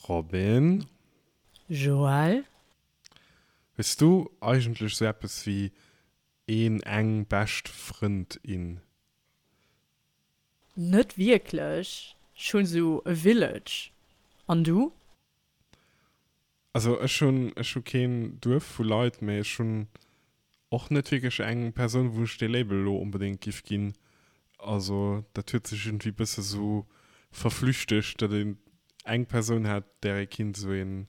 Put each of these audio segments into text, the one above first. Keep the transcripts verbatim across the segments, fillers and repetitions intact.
Robin? Joël? Hues du eigentlech sou eppes wéi een, eng bescht Frënd, in? Net wierklech, ech hunn sou e Village. An du? Also ech hunn, ech hu keen Duerf vu Leit, mee ech hunn och net wierklech eng Persoun, wou ech dee Label elo onbedéngt giff ginn. Also dat huet sech iergendwéi bësse sou verflüchtegt, datt een eng Persoun hätt, där ee kinnt esou een,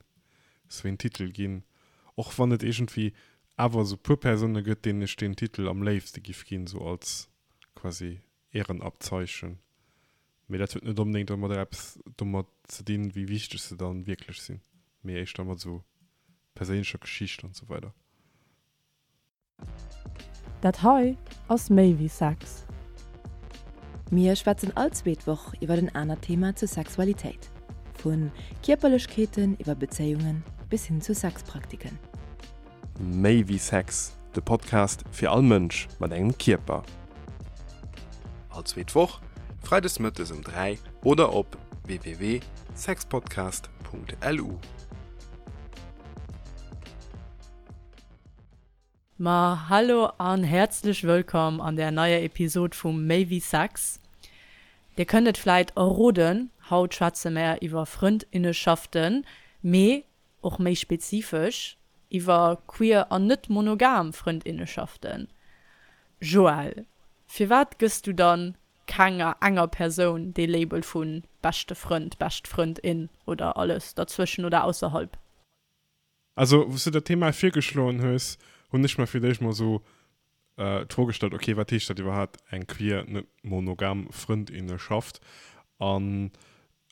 esou een Titel ginn. Och wann et iergendwéi awer esou puer Persoune gëtt, deenen ech deen Titel am léifste giff ginn, esou als quasi Ehrenabzeichen. Mee dat huet net onbedéngt domadder eppes domat ze dinn, wéi wichteg se dann wierklech sinn, mee éischter mat esou perséinlecher Geschicht an esou weider. Dat hei ass méi wéi Sex. Mir schwätzen all zweet Woch iwwer en anert Thema zur Sexualitéit. Vu Kierperlechkeeten iwwer Bezéiungen bis hin zu Sexpraktiken. Méi wéi Sex, de Podcast fir all Mënsch mat engem Kierper. All zweet Woch, freides mëttes um dräi oder op www sexpodcast punkt lu. Ma hallo an häerzlech wëllkomm an der neier Episod vu Méi wéi Sex. Dir kënnt et vläit erroden, haut schwätze mär iwwer Frëndinneschaften, mee och méi spezifesch iwwer queer an net monogam Frëndinneschaften. Joël, firwat gëss du dann kenger enger Persoun dee Label vu beschte Frënd, bescht Frëndin oder alles derzwëschen oder ausserhalb? Also, wou s du dat Thema virgeschloen hues, hunn ech mer fir d'éischt mol esou d'Fro gestallt, ok, wat heescht dat iwwerhaapt, eng queer, net monogam Frëndinneschaft? An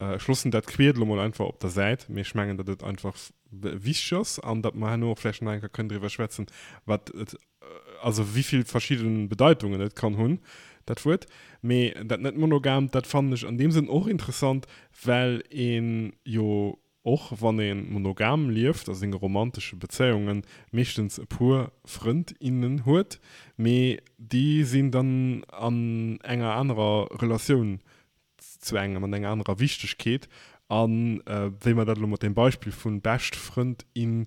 ech loossen dat queer elo mol einfach op der Säit, mee ech mengen, datt et einfach wichteg ass an datt mer herno och vläicht nach eng Kéier kënnen driwwer schwätzen, wat et, also wéi vill verschidde Bedeitungen et kann hunn, dat Wuert. Mee dat net monogamt, dat fannen ech an deem Sënn och interessant, well ee jo och wann ee monogam lieft a senge romantesche Bezéiungen, meeschtens e puer Frënd, innen huet, mee déi sinn dann an enger anerer Relatioun zu engem, an enger anerer Wichtegkeet. A wéi mer dat elo mat deem Beispill vu bescht Frënd, in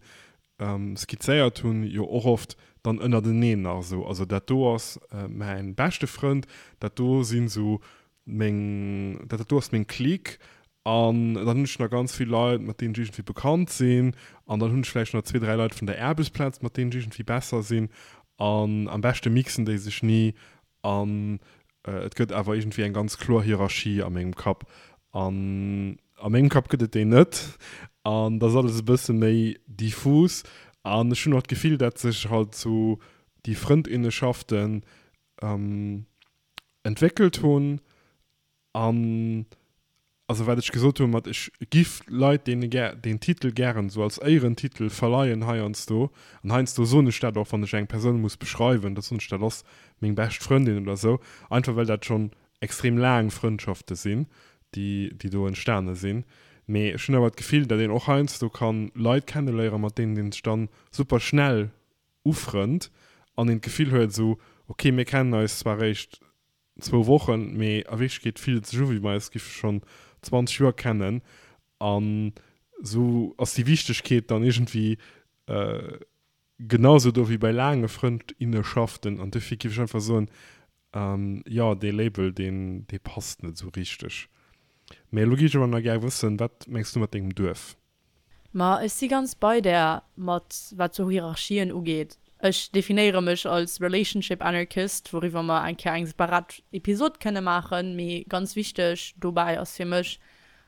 skizzéiert hunn, jo och oft dann ënnerteneen nach esou, also dat do ass mäin beschte Frënd, dat do sinn esou meng, dat do ass meng Clique, an dann hunn ech nach ganz vill Leit, mat deenen ech iergendwéi bekannt sinn, an dann hunn ech vläicht nach zwee, dräi Leit vun der Aarbechtsplaz, mat deenen ech iergendwéi besser sinn, an am beschte mixen déi sech ni, an et gëtt awer iergendwéi eng ganz kloer Hierarchie a mengem Kapp, an a mengem Kapp gëtt et déi net, an da ass alles e bësse méi diffus, an ech hunn och d'Gefill, dat sech halt sou déi Frëndinneschaften entwéckelt hunn, an also wat ech gesot hunn mat ech giff Leit deene gär deen Titel gären esou als Éierentitel verleien heiansdo, an heiansdo soen ech dat och wann ech eng Persoun muss beschreiwen, da soen ech dat ass meng bescht Frëndin oder esou, einfach well dat schonn extrem laang Frëndschafte sinn déi déi do entstane sinn. Mee ech hunn awer d'Gefill dat een och heiansdo kann Leit kenneléieren mat deenen een sech dann super schnell ufrënnt an een d'Gefill huet esou ok mir kennen eis zwar eréischt zwou Wochen, mee a Wierklechkeet fillt et sech u wéi mer eis giffe schonn zwanzeg Joer kennen. An esou ass déi Wichtegkeet dann iergendwéi genau esou do wéi bei laange Frëndinneschaften. An dofir giff ech einfach soen, jo, dee Label, deen, dee passt net esou richteg. Mee elo giff ech awer nach gär wëssen, wat mengs du mat dengem Duerf? Ma ech si ganz bei där mat wat sou Hierarchien ugeet. Ech definéiere mech als Relationship Anarchist, wouriwwer mer eng Kéier eng separat Episod kënne maachen. Mee ganz wichteg dobäi ass fir mech,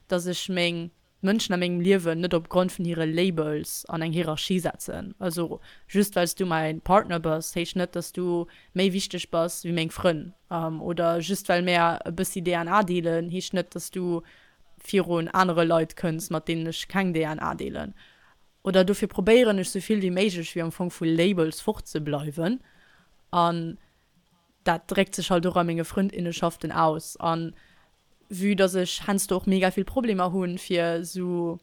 dass ech meng Mënschen a mengem Liewen net op Grond vun hire Labels an eng Hierarchie setzen. Also just well s du mäi Partner bass, heescht net, dass du méi wichteg bass wéi meng Frënn. Oder just well mär e bëssi D N A deelen, heescht net, dass du virun anere Leit kënns, mat deenen ech keng D N A deelen. Oder dofir probéieren ech sou vill wéi méiglech wéi am Fong vu Labels fortzebleiwen. An dat dréckt sech halt och a menge Frëndinnenschaften aus. An vue dass ech heiansdo och mega vill Problemer hunn, fir sou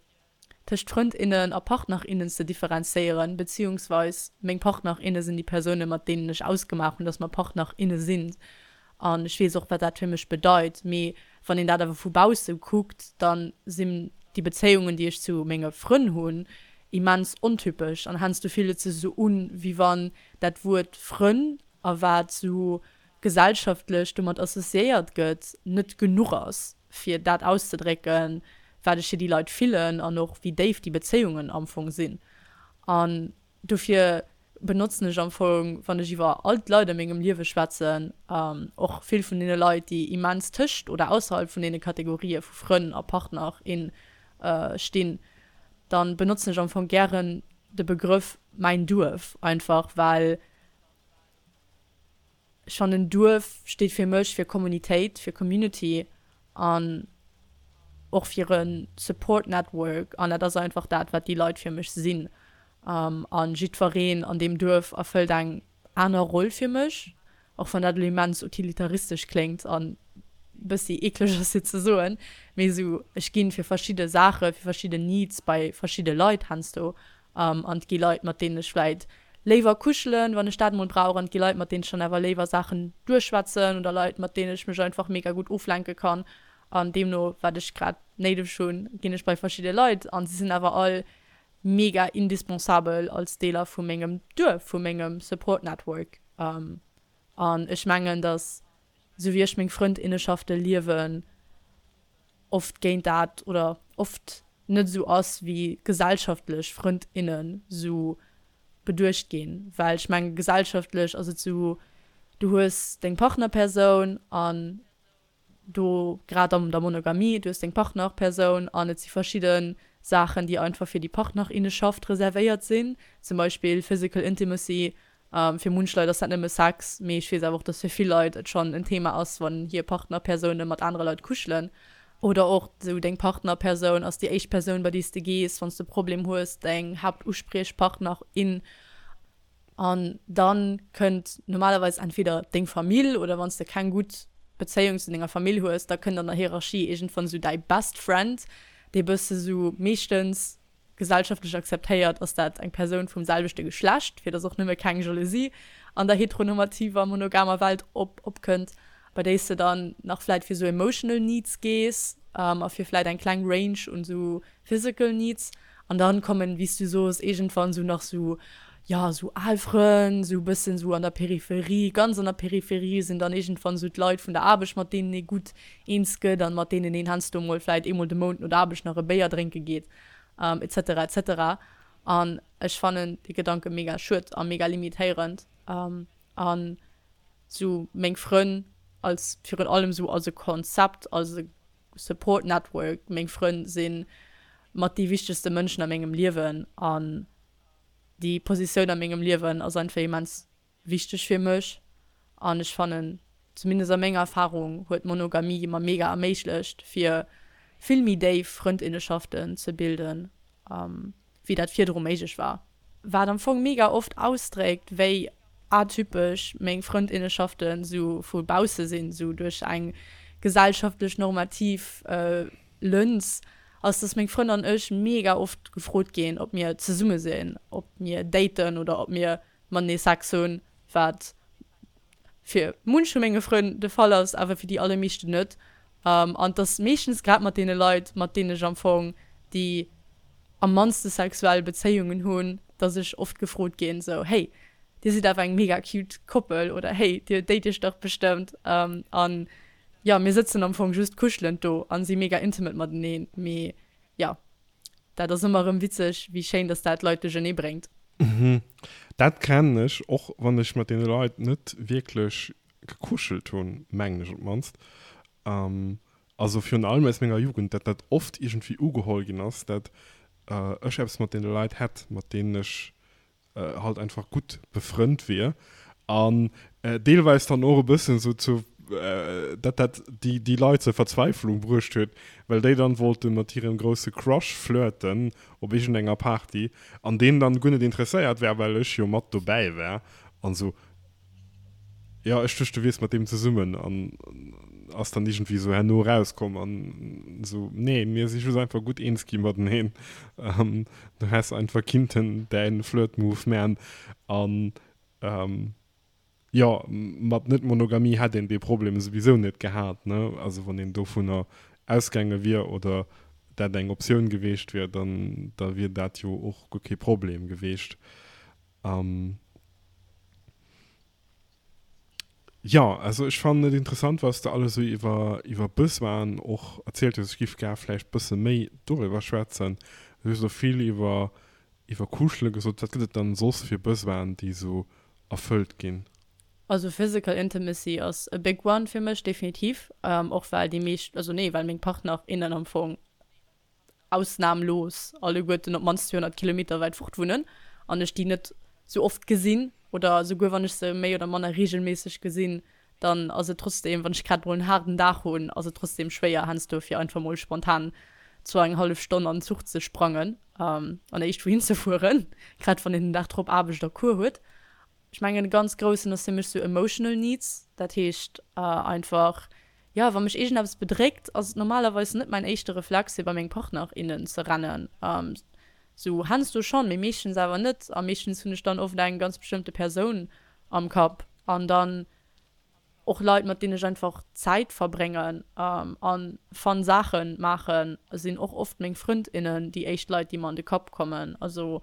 tëscht Frëndinnen a Partnerinnen ze differenzéieren, beziehungsweis meng Partnerinne sinn déi Persounen, mat deenen ech ausgemaach hunn, dass mer Partnerinne sinn. An ech weess och, wat dat fir mech bedeit. Mee wann een dat awer vu bausse kuckt, dann sinn déi Bezéiungen, déi ech zu menge Frënn hunn, immens ontypesch an heiansdo fillt et sech esou un, wéi wann dat Wuert Frënn a wat esou gesellschaftlech domat associéiert gëtt, net genuch ass, fir dat auszedrécken, wat ech fir déi Leit fillen an och wéi déif déi Bezéiungen am Fong sinn. An dofir benotzen ech am Fong, wann ech iwwer all d'Leit a mengem Liewe schwätzen, och vill vun deene Leit, déi immens tëscht oder ausserhalb vun deene Kategorië vu Frënn a Partner, in stinn, dann benotzen ech am Fong gären de Begrëff mäin Duerf, einfach well ech fannen Duerf steet fir mech fir Kommunitéit, fir Community an och fir e Support Network an dat ass einfach dat wat déi Leit fir mech sinn. A jiddwereen an deem Duerf erfëllt eng aner Roll fir mech, och wann dat elo immens utilitaristesch kléngt an bëssi eekleg ass fir ze soen, mee esou ech ginn fir verschidde Saache, fir verschidde Needs bei verschidde Leit heiansdo an et gi Leit mat deenen ech vläit léiwer kuschelen, wann ech dat mol brauch an et gi Leit mat deenen ech dann awer léiwer Saachen duerchschwätzen oder Leit mat deenen ech mech einfach mega gutt oflenke kann an deemno wat ech grad néideg hunn ginn ech bei verschidde Leit an si sinn awer all mega indispensabel als Deeler vu mengem Duerf, vu mengem Support Network. An ech mengen, datt, esou wéi ech meng Frëndinneschafte liewen, oft géint dat oder oft net esou ass, wéi gesellschaftlech Frëndinnen esou beduecht ginn. Well ech mengen, gesellschaftlech ass et esou, du hues deng Partnerpersoun an do grad an der Monogamie, du hues deng Partnerpersoun an et si verschidde Saachen, déi einfach fir déi Partnerinneschaft reservéiert sinn, zum Beispill physical intimacy. Fir munch Leit ass dat nëmme Sex, mee ech weess awer och, dass fir vill Leit et schonn en Thema ass, wann hir Partnerpersoune mat anere Leit kuschelen. Oder och esou deng Partnerpersoun ass déi éischt Persoun, bei déi s de gees, wann s de e Problem hues, deng Haaptuspriechpartner, in. An dann kënnt normalerweis entweder deng Famill oder wann s de keng gutt Bezéiung zu denger Famill hues, da kënnt an der Hierarchie iergendwann esou däi Best Friend, dee bësse sou meeschtens gesellschaftlech akzeptéiert ass dat eng Persoun vum selwechte Geschlecht, fir dass och nëmme keng Jalousie an der heteronormativer monogamer Welt op opkënnt, bei déi s de dann nach vläit fir sou emotional needs gees a fir vläit eng kleng Range un sou physical needs. An dann kommen, wéi s du soos, iergendwann sou nach sou, jo, sou al Frënn, sou e bëssen sou an der Peripherie, ganz an der Peripherie sinn dann iergendwann sou d'Leit vun der Aarbecht, mat deenen ee gutt eens gëtt an mat deenen een heiansdo mol vläit eemol de Mount no der Aarbecht nach e Béier drénke geet, et cetera, et cetera. An ech fannen dee Gedanke mega schued a mega limitéierend. An sou meng Frënn als, virun allem sou als e Konzept, als e Support Network, meng Frënn si mat déi wichtegste Mënschen a mengem Liewen an déi Positioun a mengem Liewen ass einfach immens wichteg fir mech an ech fannen, zumindest a menger Erfahrung, huet d'Monogamie mer mega erméiglecht fir vill méi déif Frëndinneschaften ze bilden, wéi dat virdru méiglech war. Wat am Fong mega oft ausdréckt, wéi atypesch meng Frëndinneschaften sou vu bausse sinn, sou duerch eng gesellschaftlech normativ Lëns, ass, dass meng Frënn an ech mega oft gefrot ginn, ob mir zesumme sinn, ob mir daten oder ob mir matenee Sex hunn, wat fir munch vu menge Frënn de Fall ass, awer fir déi allermeeschten net. An et ass meeschtens grad mat deene Leit, mat deenen ech am Fong déi am mannste sexuell Bezéiungen hunn, dass ech oft gefrot ginn, sou, Hey, dir sidd awer eng mega cute Koppel oder Hey, dir date iech dach bestëmmt. An jo, mir sëtzen am Fong just kuschelend do a si mega intimate mateneen. Mee jo, dat ass ëmmer erëm witzeg, wéi schéin dass dat d'Leit duerchernee bréngt. Mhm. Dat kennen ech, och wann ech mat deene Leit net wierklech gekuschelt hunn, mengen ech op d'mannst. Also virun allem aus menger Jugend, dat dat oft iergendwéi ugeholl ginn ass, dat ech eppes mat deene Leit hätt, mat deenen ech halt einfach gutt befrënnt wier an deelweis dann och e bëssen esou zu dat dat déi déi Leit zur Verzweiflung bruecht huet, well déi dann wollte mat hirem grousse Crush flirten op iergendenger Party an deen dann guer net interesséiert war, well ech jo mat dobäi war an esou. Jo, ech duecht du wiers mat deem zesummen an ass dann iergendwéi esou herno erauskomm an esou, nee, mir si just einfach gutt eens gi mateneen. Du häss einfach kinnten däin Flirt-Move man an jo, mat Net-Monogamie hätt een dee Problem souwisou net gehat, ne, also wann een dovunner ausgaange wier oder dat eng Optioun gewiescht wier, dann da wier dat jo och guer kee Problem gewiescht. Ähm, jo, also ech fannen et interessant, wat s de alles esou iwwer iwwer Besoinen och erzielt hues. Ech giff gär vläicht bësse méi doriwwer schwätzen. Du hues elo vill iwwer iwwer Kuschele gesot. Wat gëtt et dann soss fir Besoinen, déi esou erfëllt ginn? Also physical intimacy ass e big one fir mech, definitiv. Och well déi meescht, also nee, well meng Partner, innen am Fong ausnamlos alleguerten op d'mannst zweehonnert Kilometer wäit fort wunnen an ech déi net sou oft gesinn oder souguer wann ech se méi oder manner regelméisseg gesinn, dann ass et trotzdem, wann ech grad mol en haarden Dag hunn, ass et trotzdem schwéier heiansdo fir einfach mol spontan zwar eng hallef Stonn an den Zuch ze sprangen an éischt wouhin ze fueren, grad wann een den Dag drop Aarbecht a Cours huet. Ech mengen e ganz groussen ass fir mech sou emotional needs, dat heescht einfach, jo, wa mech iergendeppes bedréckt, ass et normalerweis net mäin éischte Reflex fir bei meng Partner, innen ze rennen. Sou heiansdo schonn, mee meeschtens awer net a meeschtens hunn ech dann oft eng ganz bestëmmte Persoun am Kapp an dann och Leit mat deenen ech einfach Zäit verbréngen an fun Saachen maachen sinn och oft meng Frënd, innen déi éischt Leit déi mer an de Kapp kommen. Also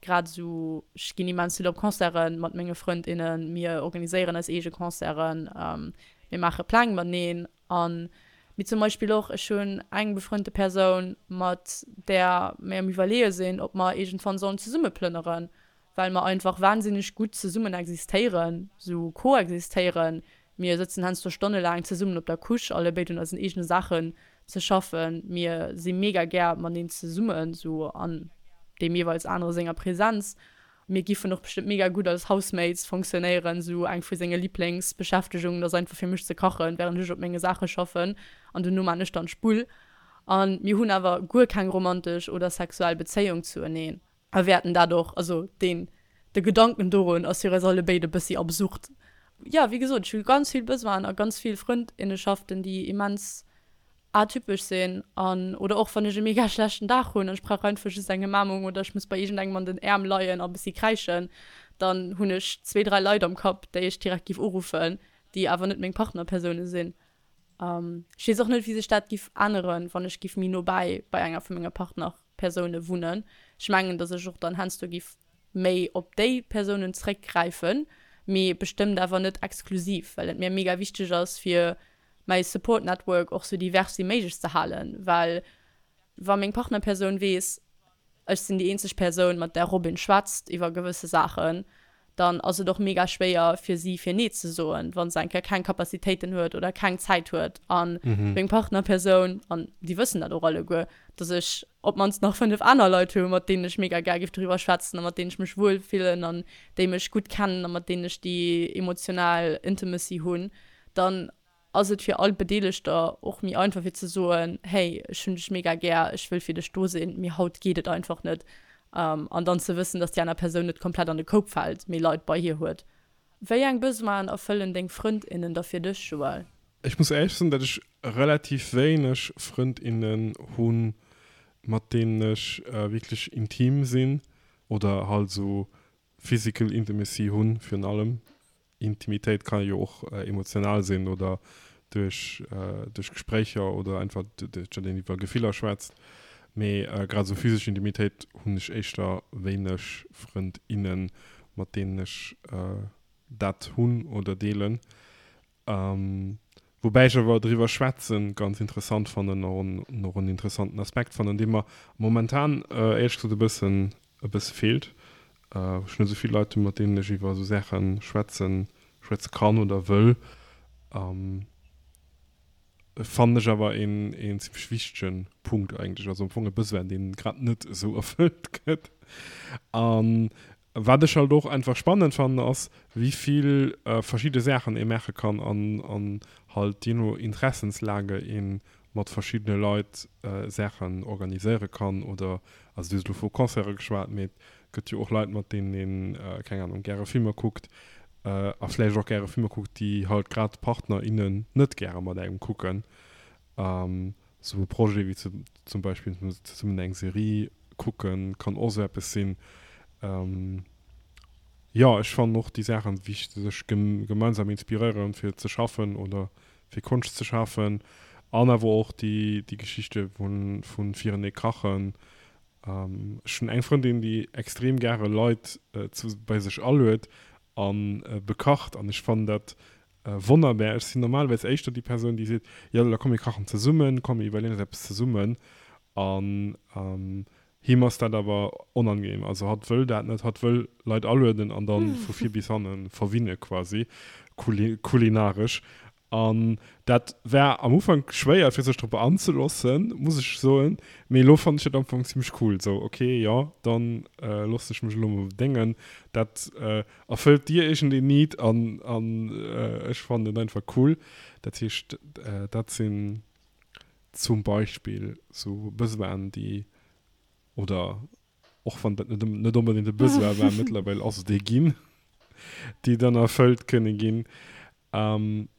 grad esou, ech ginn immens vill op Concerten mat menge Frënd, innen, mir organiséieren eis eege Concerten, mir maache Pläng mateneen an mee zum Beispill och ech hunn eng befrënnte Persoun mat där mir am iwwerleeë sinn ob mer iergendwann sollen zesumme plënneren, well mer einfach wahnsinneg gutt zesummen existéieren, sou koexistéieren. Mir sëtzen heiansdo stonnelaang zesummen op der Couche, allebéid un eisen eegene Saachen ze schaffen. Mir si mega gär mateneen zesummen, sou an deem jeeweils anere senger Präsenz. Mir giffen och bestëmmt mega gutt als Housemates fonctionnéieren, sou eng vu senge Liblingsbeschäftegungen ass einfach fir mech ze kachen, wärend ech op menge Saache schaffen an dono man ech dann d'Spull. A mir hunn awer guer keng romantesch oder sexuell Bezéiung zueneen a wäerten dat och, also deen, de Gedanken dorun ass fir eis allebéid e bëssi absurd. Jo, wéi gesot, ech hu ganz vill Besoinen a ganz vill Frëndinnenschaften, déi immens atypesch sinn an oder och wann ech e mega schlechten Dag hunn an ech brauch einfach just eng Ëmaarmung oder ech muss bei iergendengem an den Äerm leien a bëssi kräischen, dann hunn ech zwee, dräi Leit am Kapp, déi ech direkt giff uruffen, déi awer net meng Partnerpersoune sinn. Ech weess och net, wéi sech dat giff änneren, wann ech giff méi no bäi bei enger vu menge Partnerpersoune wunnen. Ech mengen, datt ech och dann heiansdo giff méi op déi Persounen zréckgräifen, mee bestëmmt awer net exklusiv, well et mir mega wichteg ass, fir mäi Support Network och sou divers wéi méiglech ze halen, well wa meng Partnerpersoun weess, ech sinn déi eenzeg Persoun, mat där Robin schwätzt iwwer gewësse Saachen, dann ass et och mega schwéier fir si fir nee ze soen, wa se eng Kéier keng Capacitéiten huet oder keng Zäit huet. A meng Partnerpersoun, an déi wëssen dat och alleguer, dass ech op d'mannst nach fënnef aner Leit hu mat deenen ech mega gär géif doriwwer schwätzen a mat deenen ech mech wuel fillen an déi mech gutt kennen a mat deenen ech déi emotional Intimacy hunn, dann ass et fir all Bedeelegter och méi einfach fir ze soen, hey, ech hunn dech mega gär, ech wëll fir dech do sinn, mee haut geet et einfach net. An dann ze wëssen, dass déi aner Persoun net komplett an de Koup fält, mee Leit bei hir huet. Wéi eng Besoinen erfëllen deng Frënd, innen da fir dech, Joël? Ech muss éierlech soen, datt ech relativ wéineg Frënd, innen hunn, mat deenen ech wierklech intim sinn oder halt esou physical intimacy hunn virun allem. Intimitéit kann jo och emotional sinn oder duerch duerch Gespréicher oder einfach duerch datt een iwwer Gefiller schwätzt. Mee grad esou physesch Intimitéit hunn ech éischter wéineg Frënd, innen, mat deenen ech dat hunn oder deelen. Woubäi ech awer driwwer schwätzen ganz interessant fannen an och en interessanten Aspekt fannen, dee mer momentan éierlech gesot e bëssen e bësse feelt. Ech hunn net esou vill Leit, mat deenen ech iwwer esou Saache schwätzen schwätze kann oder wëll. Fannen ech awer een een zimmlech wichtege Punkt eigentlech. Also am Fong e Besoin, deen grad net esou erfëllt gëtt. An wat ech halt och einfach spannend fannen ass, wéi vill verschidde Saachen ee maache kann an an halt jee no Interessenslage ee mat verschiddene Leit Saachen organiséiere kann oder, also du hues elo vu Concerte geschwat, mee et gëtt jo och Leit mat deenen een, keng Ahnung, gäre Filmer kuckt a vläicht och gäre Filmer kuckt, déi halt grad d'Partner, innen net gäre mat engem kucken. Sou e Projet wéi zum Beispill zesummen eng Serie kucken kann och sou eppes sinn. Jo, ech fannen och déi Saachen wichteg, sech gemeinsam inspiréieren fir ze schaffen oder fir Konscht ze schafen An awer och déi, déi Geschichte vun, vun firenee kachen. Ähm, ech hunn eng Frëndin, déi extrem gäre Leit äh, zu, bei sech aluet an äh, bekacht an ech fannen dat äh, wonnerbar. Ech sinn normalerweis éischter déi Persoun, déi seet, jo, da komm mir kachen zesummen, komm mir iwwerleeën eis eppes zesummen. An ähm, him ass dat awer onangenehm. Also hatt wëll dat net, hatt wëll Leit alueden an dann vu vir bis hanne verwinne quasi, kuli kulinaresch. An dat war am Ufank schwéier fir sech drop anzeloossen, muss ech soen, mee elo fannen ech dat am Fong zimmlech cool. Sou, ok, jo, dann äh, loossen ech mech elo mol bedéngen. Dat äh, erfëllt dir iergendeen Need an, an äh, ech fannen et einfach cool. Dat heescht, äh, dat sinn zum Beispill sou Besoinen, déi, oder och wann dat net, net onbedéngt e Besoin war, mëttlerweil ass et ee ginn, déi dann erfëllt kënne ginn. Ähm,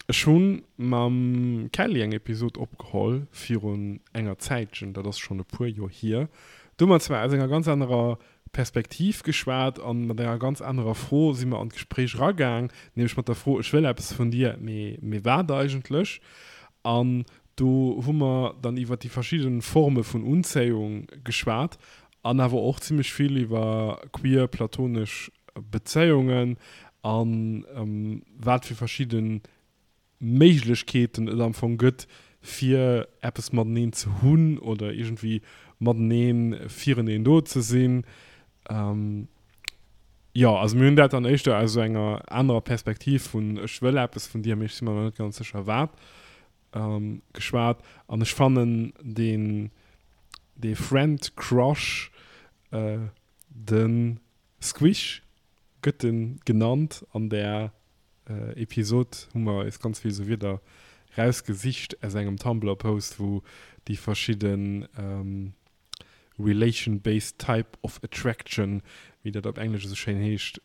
ech hunn mam Kelly eng Episod opgeholl virun enger Zäitchen, dat ass schonn e puer Joer hier. Do hu mer zwar aus enger ganz anerer Perspektiv geschwat an mat enger ganz anerer Fro si mer an d'Gespréich eragaang, nämlech mat der Fro, ech wëll eppes vun dir, mee, mee wat eigentlech? An do hu mer dann iwwer déi verschidde Forme vun Unzéiung geschwat an awer och zimmlech vill iwwer queer platonesch Bezéiungen an wat fir verschidde Méiglechkeeten et am Fong gëtt, fir eppes mateneen ze hunn oder iergendwéi mateneen fireneen do ze sinn. Jo, also mir hunn dat dann éischter aus esou enger anerer Perspektiv vun ech wëll eppes vun dir, mee ech si mer nach net ganz sécher wat, geschwat. An ech fannen deen, dee Friend Crush, de Squish gëtt en genannt an där Episod, hu mer eis ganz vill esou Wierder rausgesicht aus engem Tumblr Post, wou déi verschidden Relation-based type of attraction, wéi dat op Englesch esou schéin heescht,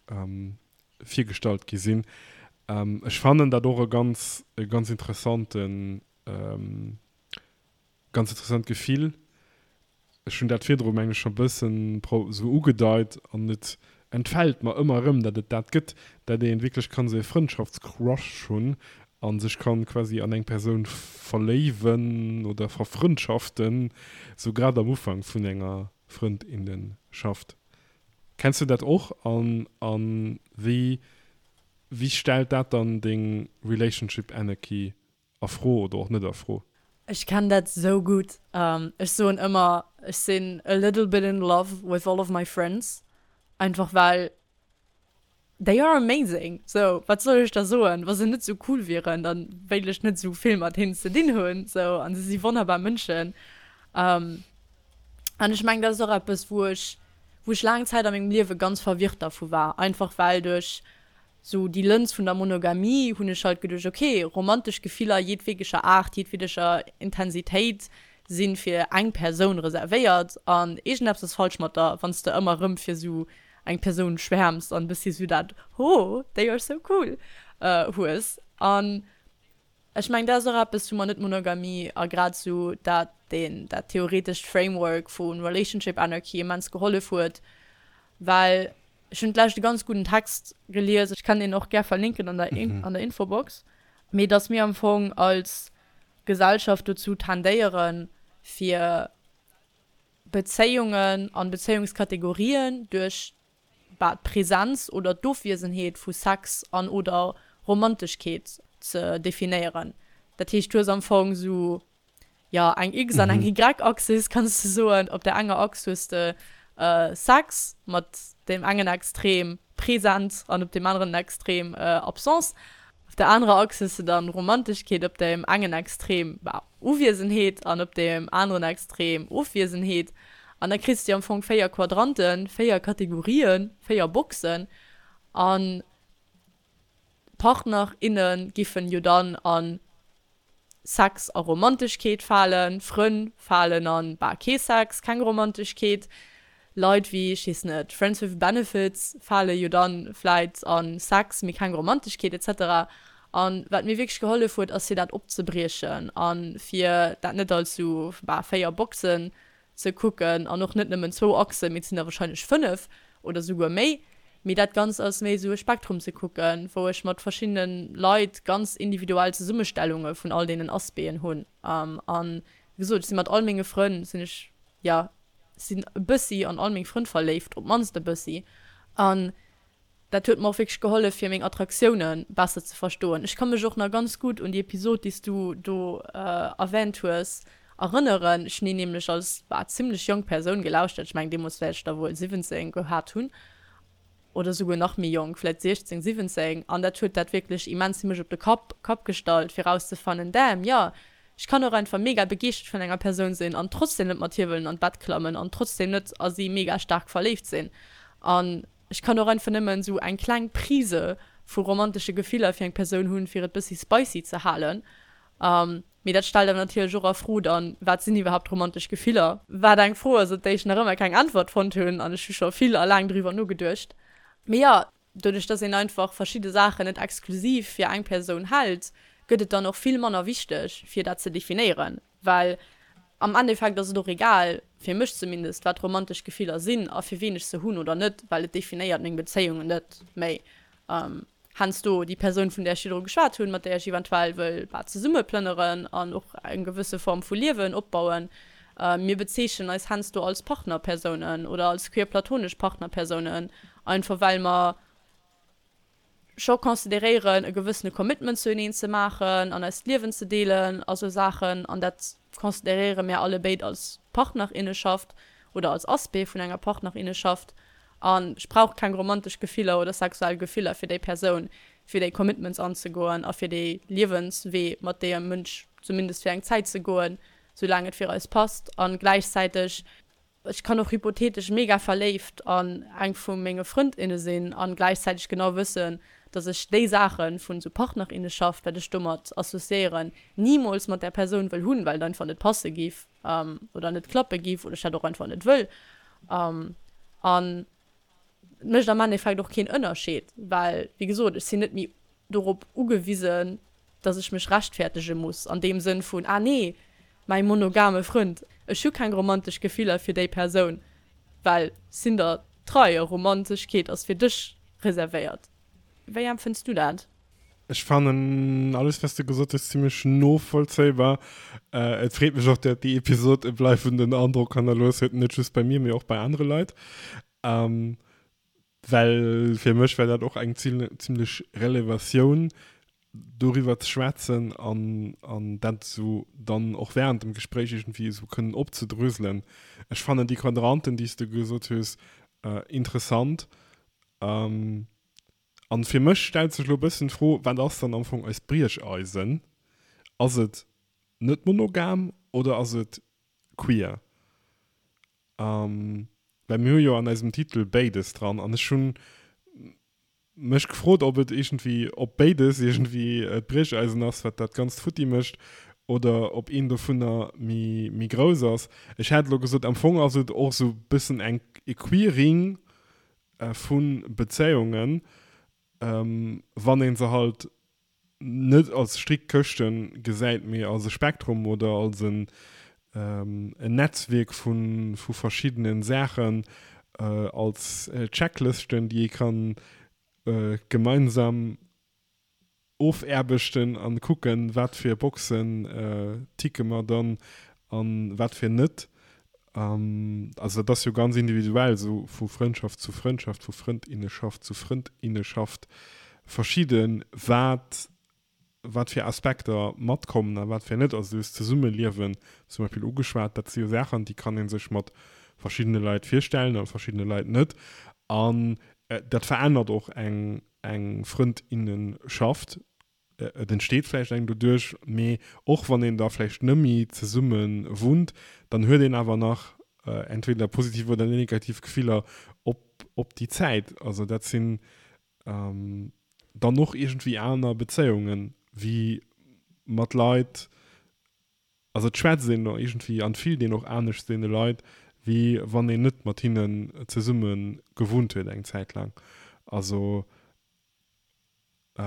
virgestallt gi sinn. Ech fannen dat och e ganz, e ganz interessanten, ganz interessant Gefill. Ech hunn dat virdru meng ech scho bëssen esou ugedeit an et entfält mer ëmmer erëm, datt et dat gëtt, datt ee wierklech kann esou e Frëndschaftscrush hunn a sech kann quasi an eng Persoun verléiwen oder verfrëndschaften, esou grad am Ufank vun enger Frëndinnenschaft. Kenns du dat och an an wéi wéi stellt dat dann deng Relationship Anarchy a Fro oder och net a Fro? Ech kennen dat sou gutt. Ech soen ëmmer, ech sinn a little bit in love with all of my friends, einfach well they are amazing. Sou, wat soll ech da soen? Wa se net sou cool wieren, da wéilt ech net sou vill mat hinnen ze dinn hunn. Sou, an se si wonnerbar Mënschen. An ech mengen, dat ass och eppes, wou ech, wou ech laang Zäit a mengem Liewe ganz verwirrt dervu war, einfach well duerch sou déi Lëns vun der Monogamie hunn ech halt geduecht, ok, romantesch Gefiller jedwegescher Aart, jedwedeger Intensitéit si fir eng Persoun reservéiert an iergendeppes ass falsch mat der, wann s de ëmmer erëm fir sou eng Persoun schwäerms an e bëssi sou dat oh, they are so cool hues. An ech mengen, dat ass och eppes, wou mer Net-Monogamie a grad sou dat deen dat theoretescht Framework vu Relationship Anarchy immens gehollef huet, well Ech hunn d'lescht e ganz gudden Text gelies, ech kann deen och gär verlinken an der an der Infobox, mee dass mir am Fong als Gesellschaft dozou tendéieren, fir Bezéiungen an Bezéiungskategorien duerch bah d'Präsenz oder d'Ofwiesenheet vu Sex an oder Romanteschkeet ze definéieren. Dat heescht, du hues am Fong esou jo, eng X an eng Y-Achsis, kanns de soen. Op der enger Achs hues de Sex mat deem engen Extrem present an op deem aneren Extrem Absence. Op der anerer Achs hues de dann Romanteschkeet, op deem engen Extrem, bah, Uwiesenheet an op deem aneren Extrem Ofwiesenheet. An da kriss de am Fong véier Quadranten, véier Kategorien, véier Boxen. An Partner, inne giffen jo dann an Sex a Romanteschkeet falen, Frënn falen an, bah, kee Sex, keng Romanteschkeet, Leit wéi, ech weess net, Friends with Benefits fale jo dann vläit an Sex, mee keng Romanteschkeet etc. An wat mir wierklech gehollef huet, ass fir dat opzebriechen an fir dat net als sou, bah, véier Boxen ze kucken an och net nëmmen zwou Achsen, mee et sinn der wahrscheinlech fënnef oder souguer méi, Mee dat Ganzt als méi esou e Spektrum ze kucken, wou ech mat verschiddene Leit ganz individuell Zesummestellunge vun all deenen Aspecten hunn. An wéi gesot, ech si mat all menge Frënn sinn ech, jo, sinn e bëssi an all meng Frënn verléift, op d'mannst e bëssi. An dat huet mer och wierklech gehollef, fir meng Attraktioune besser ze verstoen. Ech ka mech och nach ganz gutt un déi Episod, déi s du do erwänt hues, erënneren. Ech hunn déi nämlech als, bah, zimmlech jonk Persoun gelauschtert. Ech mengen, deemools wäert ech der wuel siwwenzéng gehat hunn oder souguer nach méi jonk, vläicht siechzéng, siwwenzéng. An dat huet dat wierklech immens fir mech op de Kapp, Kapp gestallt, fir erauszefannen, Damn, jo, ech kann och einfach mega begeeschtert vun enger Persoun sinn an trotzdem net mat hir wëllen an d'Bett klammen an trotzdem net a si mega staark verléift sinn. An ech kann och einfach nëmmen esou eng kleng Prise vu romantesche Gefiller fir eng Persoun hunn, fir et bëssi spicy ze halen. Mee dat stellt awer natierlech och a Fro dann, wat sinn iwwerhaapt romantesch Gefiller? Wat eng Fro ass, op déi ech nach ëmmer keng Äntwert fonnt hunn, an ech hu scho vill a laang driwwer nogeduecht. Mee jo, doduerch dass een einfach verschidde Saachen net exklusiv fir eng Persoun hält, gëtt et dann och vill manner wichteg, fir dat ze definéieren. Well am Endeffekt ass et och egal, fir mech zumindest, wat romantesch Gefiller sinn a fir ween ech se hunn oder net, well et definéiert meng Bezéiungen net méi. Heiansdo déi Persoun, vun där ech virdru geschwat hunn, mat där ech eventuell wëll bah zesumme plënneren an och eng gewësse Form vu Liewen opbauen. Mir bezeechnen eis heiansdo als Partnerpersounen oder als queer-platonesch Partnerpersounen, einfach well mer scho consideréieren, e gewëssene Commitment zueneen ze maachen an eist Liewen ze deelen a sou Saachen. An dat consideréiere mär allebéid als Partnerinneschaft oder als Aspect vun enger Partnerinneschaft. An ech brauch keng romantesch Gefiller oder sexuell Gefiller fir déi Persoun, fir déi Commitments anzegoen a fir dee Liewenswee mat deem Mënsch zumindest fir eng Zäit ze goen, soulaang et fir eis passt. A gläichzäiteg, ech kann och hypothetesch mega verléift an eng vu menge Frëndinne sinn a gläichzäiteg genau wëssen, dass ech déi Saache vun esou Partnerinneschaft, wat ech domat associéieren, nimools mat där Persoun wëll hunn, well et einfach net passe giff oder net klappe giff oder ech dat och einfach net wëll. An et mécht am Endeffekt och keen Ënnerscheed, well, wéi gesot, ech sinn net méi dorop ugewisen, dass ech mech rechtfäertege muss an deem Sënn vun, ah nee, mäi monogame Frënd, ech hu keng romantesch Gefiller fir déi Persoun, well sinn der trei a Romanteschkeet ass fir dech reservéiert. Wéi empfënns du dat? Ech fannen alles wat s de gesot hues zimlech novollzéibar. Et freet mech och, dat déi Episod e bleiwenden Androck hannerlooss huet, net just bei mir, mee och bei anere Leit. Well fir mech war dat och eng zimlech Relevatioun, doriwwer ze schwätzen an an dat esou dann och während dem Gespréich iergendwéi esou kënnen opzedröselen. Ech fannen déi Quadranten, déi s de gesot hues, interessant. An fir mech stellt sech elo e bëssen d'Fro, wat ass dann am Fong eist Briecheisen? Ass et net monogam oder ass et queer? Well mir hu jo an eisem Titel béides dran an ech hu mech gefrot, ob et iergendwéi, ob béides iergendwéi d'Briecheisen ass, wat dat Ganzt futti mécht, oder ob een dovunner méi, méi grouss ass. Ech hätt elo gesot, am Fong ass et och esou e bëssen eng, e Queering vu Bezéiungen, wann ee se halt net als strikt Këschte gesäit, mee als e Spektrum oder als en Netzwierk vu verschiddene Saachen, als Checklëschten, déi ee kann gemeinsam ofaarbechten an kucken, wat fir Boxen ticke mer dann an wat fir net. Also dat ass jo ganz individuell, esou vu Frëndschaft zu Frëndschaft, vu Frëndinneschaft zu Frëndinneschaft verschidden, wat wat fir Aspekter matkommen a wat fir net. Also du hues d'Zesummeliewen zum Beispill ugeschwat, dat si jo Saachen, déi kann ee sech mat verschiddene Leit virstellen a verschiddene Leit net. An dat verännert och eng eng Frëndinnenschaft. Et entsteet vläicht eng doduerch, mee och wann een da vläicht nëmmi zesumme wunnt, dann huet een awer nach entweder positiv oder negativ Gefiller op op déi Zäit. Also dat sinn dann och iergendwéi aner Bezéiungen, wéi mat Leit, also et schwätzt een och iergendwéi an fillt een och anescht zu deene Leit, wéi wann een net mat hinnen zesumme gewunnt huet eng Zäit laang. Also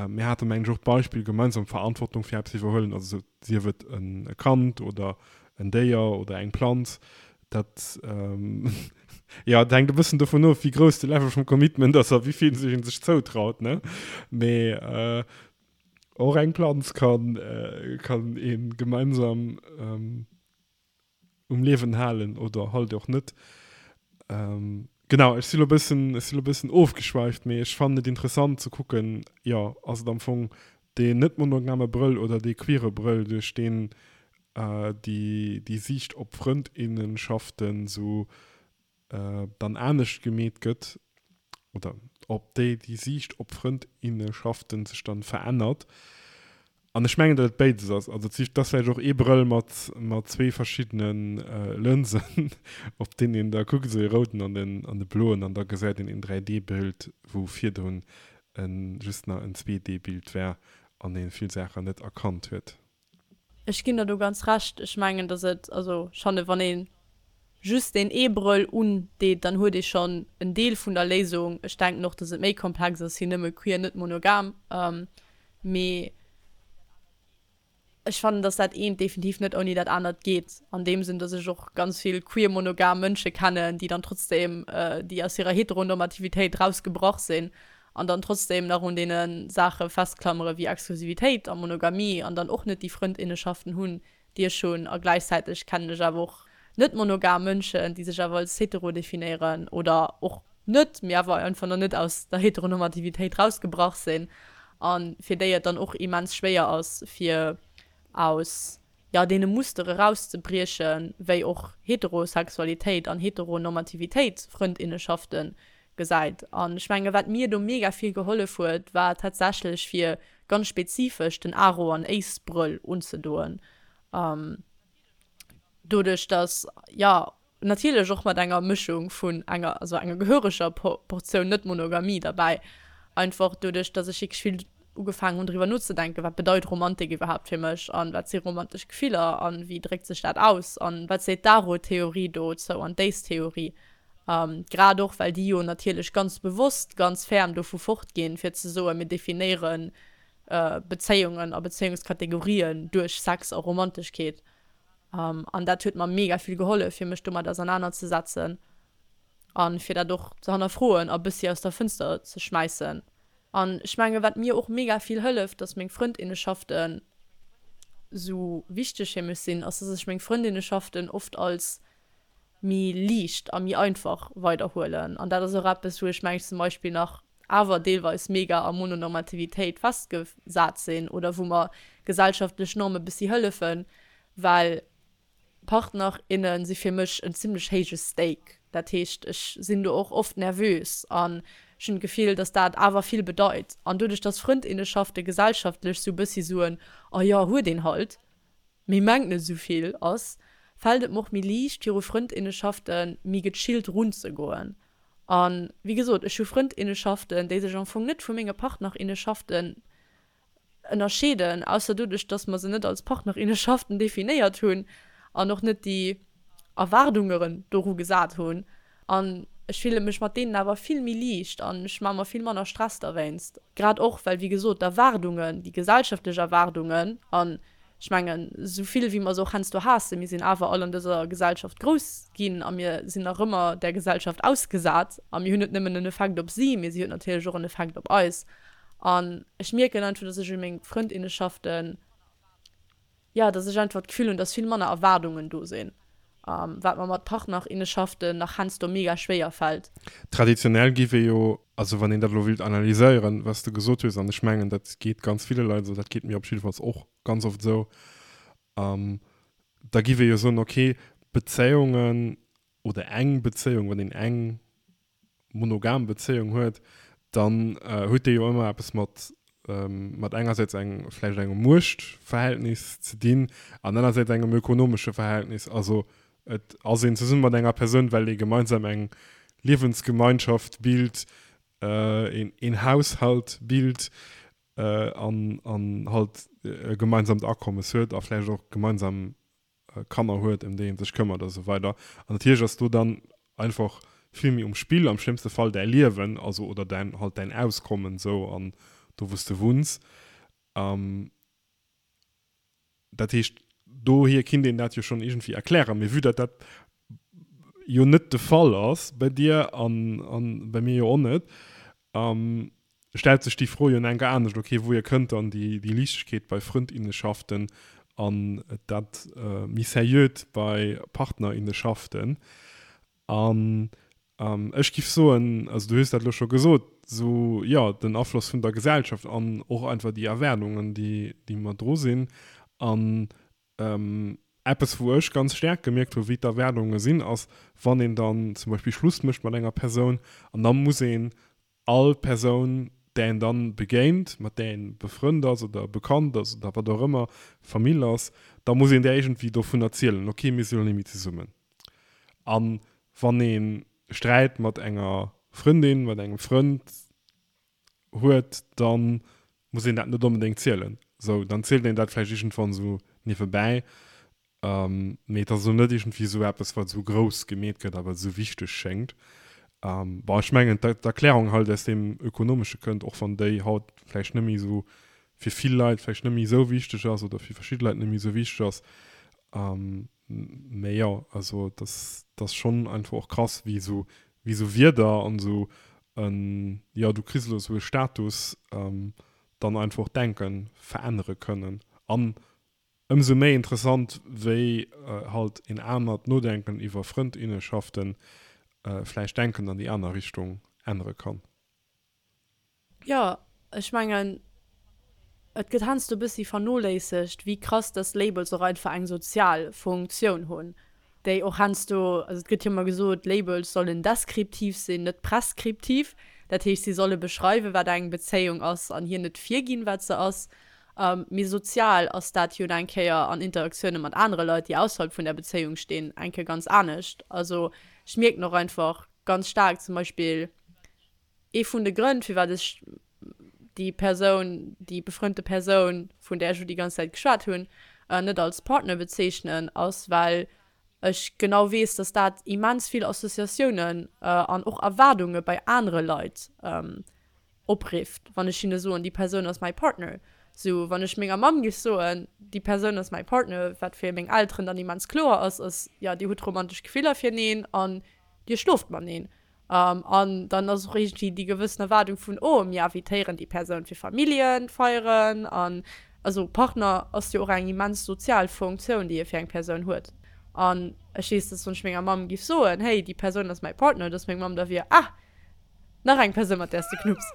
mir hate mengen ech och d'Beispill gemeinsam Verantwortung fir eppes iwwerhuelen, also sief et e Kand oder en Déier oder eng Planz, dat Jo, et hänkt e bëssen dovun of, wéi grouss de Level vum Commitment ass a wéi vill sech een sech zoutraut, ne? Mee och eng Planz kann, kann ee gemeinsam um Liewen halen oder halt och net. Genau, ech si lo bëssen, ech si lo bëssen ofgeschweift, mee ech fannen et interessant ze kucken, jo, ass et am Fong deen net monogame Brëll oder dee queere Brëll, duerch deen déi, déi Siicht op Frëndinnenschaften sou dann anescht gemeet gëtt oder ob déi déi Siicht op Frëndinneschaften sech dann verännert. An ech mengen, datt et béides ass. Also et ass vläicht och ee Brëll mat mat zwee verschiddene Lënsen, op deen een da kuckt, esou ee rouden an den an de bloen, an da gesäit een een dräi D-Bild, wou virdrun e just nach en zwee D-Bild war an ee vill Saachen net erkannt huet. Ech ginn der do ganz Recht. Ech mengen, datt et, also schonn wann ee just deen ee Brëll undeet, dann huet ee schonn en Deel vun der Léisung. Ech denken och, datt et méi komplex ass wéi nëmme queer, net monogam. Mee ech fannen, datt dat eent definitiv net ouni dat anert geet. An deem Sënn, datt ech och ganz vill queer monogam Mënsche kennen, déi dann trotzdeem, déi aus hirer Heteronormativitéit rausgebrach sinn an dann trotzdeem nach un deene Saache festklammere wéi Exklusivitéit a Monogamie an dann och net déi Frëndinnenschaften hunn, déi ech hunn. A gläichzäiteg kennen ech awer och net monogam Mënschen, déi sech awer als hetero definéieren oder och net, mee awer einfach nach net aus der Heteronormativitéit rausgebrach sinn a fir déi et dann och immens schwéier ass, fir aus, jo, deene Mustere rauszebriechen, wéi och Heterosexualitéit an Heteronormativitéit Frëndinnenschafte gesäit. An ech menge wat mir do mega vill gehollef huet, war tatsächlech fir ganz spezifesch den Aro an Ace-Brëll unzedoen. Doduerch dass, jo, natierlech och mat enger Mëschung vun enger, also enger gehöreger Portioun Net-Monogamie derbäi, einfach doduerch dass ech wierklech vill ugefaangen hunn driwwer nozedenken, wat bedeit Romantik iwwerhaapt fir mech an wat si romantesch Gefiller an wéi dréckt sech dat aus an wat seet d'Aro-Theorie dozou an d'Ace-Theorie, grad och well déi jo natierlech ganz bewosst ganz ferm dovu fortginn fir ze soen, mir definéiere Bezéiungen a Bezéiungskategorien duerch Sex a Romanteschkeet. An dat huet mer mega vill gehollef, fir mech domat ausernanerzesetzen a fir dat och ze hannerfroen a bëssi aus der Fënster ze schmäissen. An ech menge wat mir och mega vill hëlleft, dass meng Frëndinneschaften sou wichteg fir mech sinn, ass, dass ech meng Frëndinneschaften oft als méi liicht a méi einfach weiderhuelen. An dat ass och eppes, wou ech mengen zum Beispill nach awer deelweis mega a Mononormativitéit festgesat sinn oder wou mer gesellschaftlech Norme bëssi hëllefen, well Partner, inne si fir mech en zimlech héije Stake. Dat heescht, ech sinn do och oft nervös an ech hunn d'Gefill, dass dat awer vill bedeit. An doduerch, dass Frëndinnenschafte gesellschaftlech sou bëssi sou en Oh jo, huet een halt, mee mengt net esou vill ass, fält et mer och méi liicht, viru Frëndinnenschafte méi gechillt runzegoen. A wéi gesot, ech hu Frëndinnenschaften, déi sech am Fong net vu menge Partnerinnenschaften ënnerscheeden, ausser doduerch, dass mer se net als Partnerinnenschaften definéiert hunn an och net déi Erwaardungeren doru gesat hunn. An ech fille mech mat deenen awer vill méi liicht an ech maache mer vill manner Stress derwéinst. Grad och, well, wéi gesot, d'Erwaardungen, déi gesellschaftlech Erwaardungen, an ech mengen, esou vill wéi mer se och heiansdo haassen, mir sinn awer all an dëser Gesellschaft grouss ginn a mir sinn nach ëmmer där Gesellschaft ausgesat a mir hunn net nëmmen en Effekt op si, mee si huet natierlech och en Effekt op eis. An ech mierken einfach, dass ech u meng Frëndinneschaften, jo, dass ech einfach d'Gefill hunn, dass vill manner Erwaardungen do sinn, wat mer mat Partnerinneschaften nach heiansdo mega schwéier fält. Traditionell géif ee jo, also wann een dat elo wéilt analyséieren, wat s de gesot hues, an ech mengen, dat geet ganz ville Leit esou, dat geet mir op jiddefalls och ganz oft esou, da géif ee jo soen, okay, Bezéiungen oder eng Bezéiung, wann een eng monogam Bezéiung huet, dann huet déi jo ëmmer eppes mat mat engersäits eng vläicht engem Muechtverhältnis ze dinn an anersäits engem ökonomesche Verhältnis. Also et ass een zesumme mat enger Persoun, well ee gemeinsam eng Liewensgemeinschaft bilt, een een Haushalt bilt an an halt e gemeinsamt Akommes huet a vläicht och gemeinsam Kanner huet, ëm déi ee sech këmmert a sou weider. An natierlech ass do dann einfach vill méi um Spill, am schlëmmste Fall däi Liewen, also oder däin halt däin Auskommen sou an do wou s de wunns. Dat heescht, dohier kinnt een dat jo schonn iergendwéi erklären. Mee vue datt dat jo net de Fall ass bei dir an, an bei mir jo och net, ähm, stellt sech déi Fro jo enker anescht, okay, wouhier kënnt dann déi, déi Liichtegkeet bei Frëndinnenschaften an dat äh, méi Seriöt bei Partnerinnenschaften? An ähm, ech giff soen, also du hues dat lo scho gesot, sou jo, den Afloss vun der Gesellschaft an och einfach déi Erwaardungen, déi, déi mat dru sinn. An ähm, eppes, wou ech ganz staark gemierkt hu wéi d'Erwaardunge sinn, ass, wann een dann zum Beispill Schluss mécht mat enger Persoun an da muss een all Persoun, där een dann begéint, mat där een befrënnt ass oder bekannt ass oder wat och ëmmer, Famill ass, da muss een där iergendwéi dovun erzielen, okay, mir si lo net méi zesummen. An wann ee Sträit mat enger Frëndin, mat engem Frënd huet, da muss een dat net onbedéngt zielen. Sou, dann zielt een dat vläicht iergendwann esou niewebäi. Ähm, mee et ass elo net iergendwéi esou eppes, wat esou grouss gemeet gëtt a wat esou wichteg schéngt. Ähm, bon, ech mengen, d'Erklärung halt aus deem Ökonomesche kënnt, och wann déi haut vläicht net méi esou fir vill Leit vläicht net méi esou wichteg ass oder fir verschidde Leit net méi esou wichteg ass. Ähm, mee jo, also dat ass schonn einfach och krass, wéi esou, wéi esou Wierder an esou en, jo, du kriss elo esou e Status, ähm, dann einfach och d'Denke verännere kënnen. An ëmsou méi interessant, wéi halt een anert Nodenken iwwer Frëndinnenschaften vläicht d'Denken an déi aner Richtung ännere kann. Jo, ech mengen, et gëtt heiansdo e bëssi vernoléissegt, wéi krass dass Labels och einfach eng sozial Funktioun hunn, déi och heiansdo, also et gëtt jo ëmmer gesot, Labels sollen deskriptiv sinn, net preskriptiv. Dat heescht, si solle beschreiwen, wat eng Bezéiung ass an hir net virginn, wat se ass. Mee sozial ass dat jo eng Kéier an Interaktioune mat anere Leit, déi ausserhalb vun där Bezéiung stinn, eng Kéier ganz anescht. Also ech mierken och einfach ganz staark zum Beispill, ee vun de Grënn, firwat ech déi Persoun, déi befrënnte Persoun, vun där ech elo déi ganz Zäit geschwat hunn, net als Partner bezeechnen, ass, well ech genau weess, dass dat immens vill Associatiounen an och Erwaardunge bei anere Leit oprifft, wann ech hinne soen, déi Persoun ass mäi Partner. Sou, wann ech menger Mamm géif soen, déi Persoun ass mäi Partner, wat fir meng Elteren dann immens kloer ass, ass, jo, dir hutt romantesch Gefiller fireneen an dir schloft mateneen. An dann ass och iergendwéi déi gewëssen Erwaardung vun, oh, mir invitéieren déi Persoun fir Familljefeieren an, also Partner ass jo och eng immens sozial Funktioun, déi e fir eng Persoun huet. An ech weess, dass wann ech menger Mamm géif soen, hey, déi Persoun ass mäi Partner, dass meng Mamm da wier, ah, nach eng Persoun, mat där s de knupps.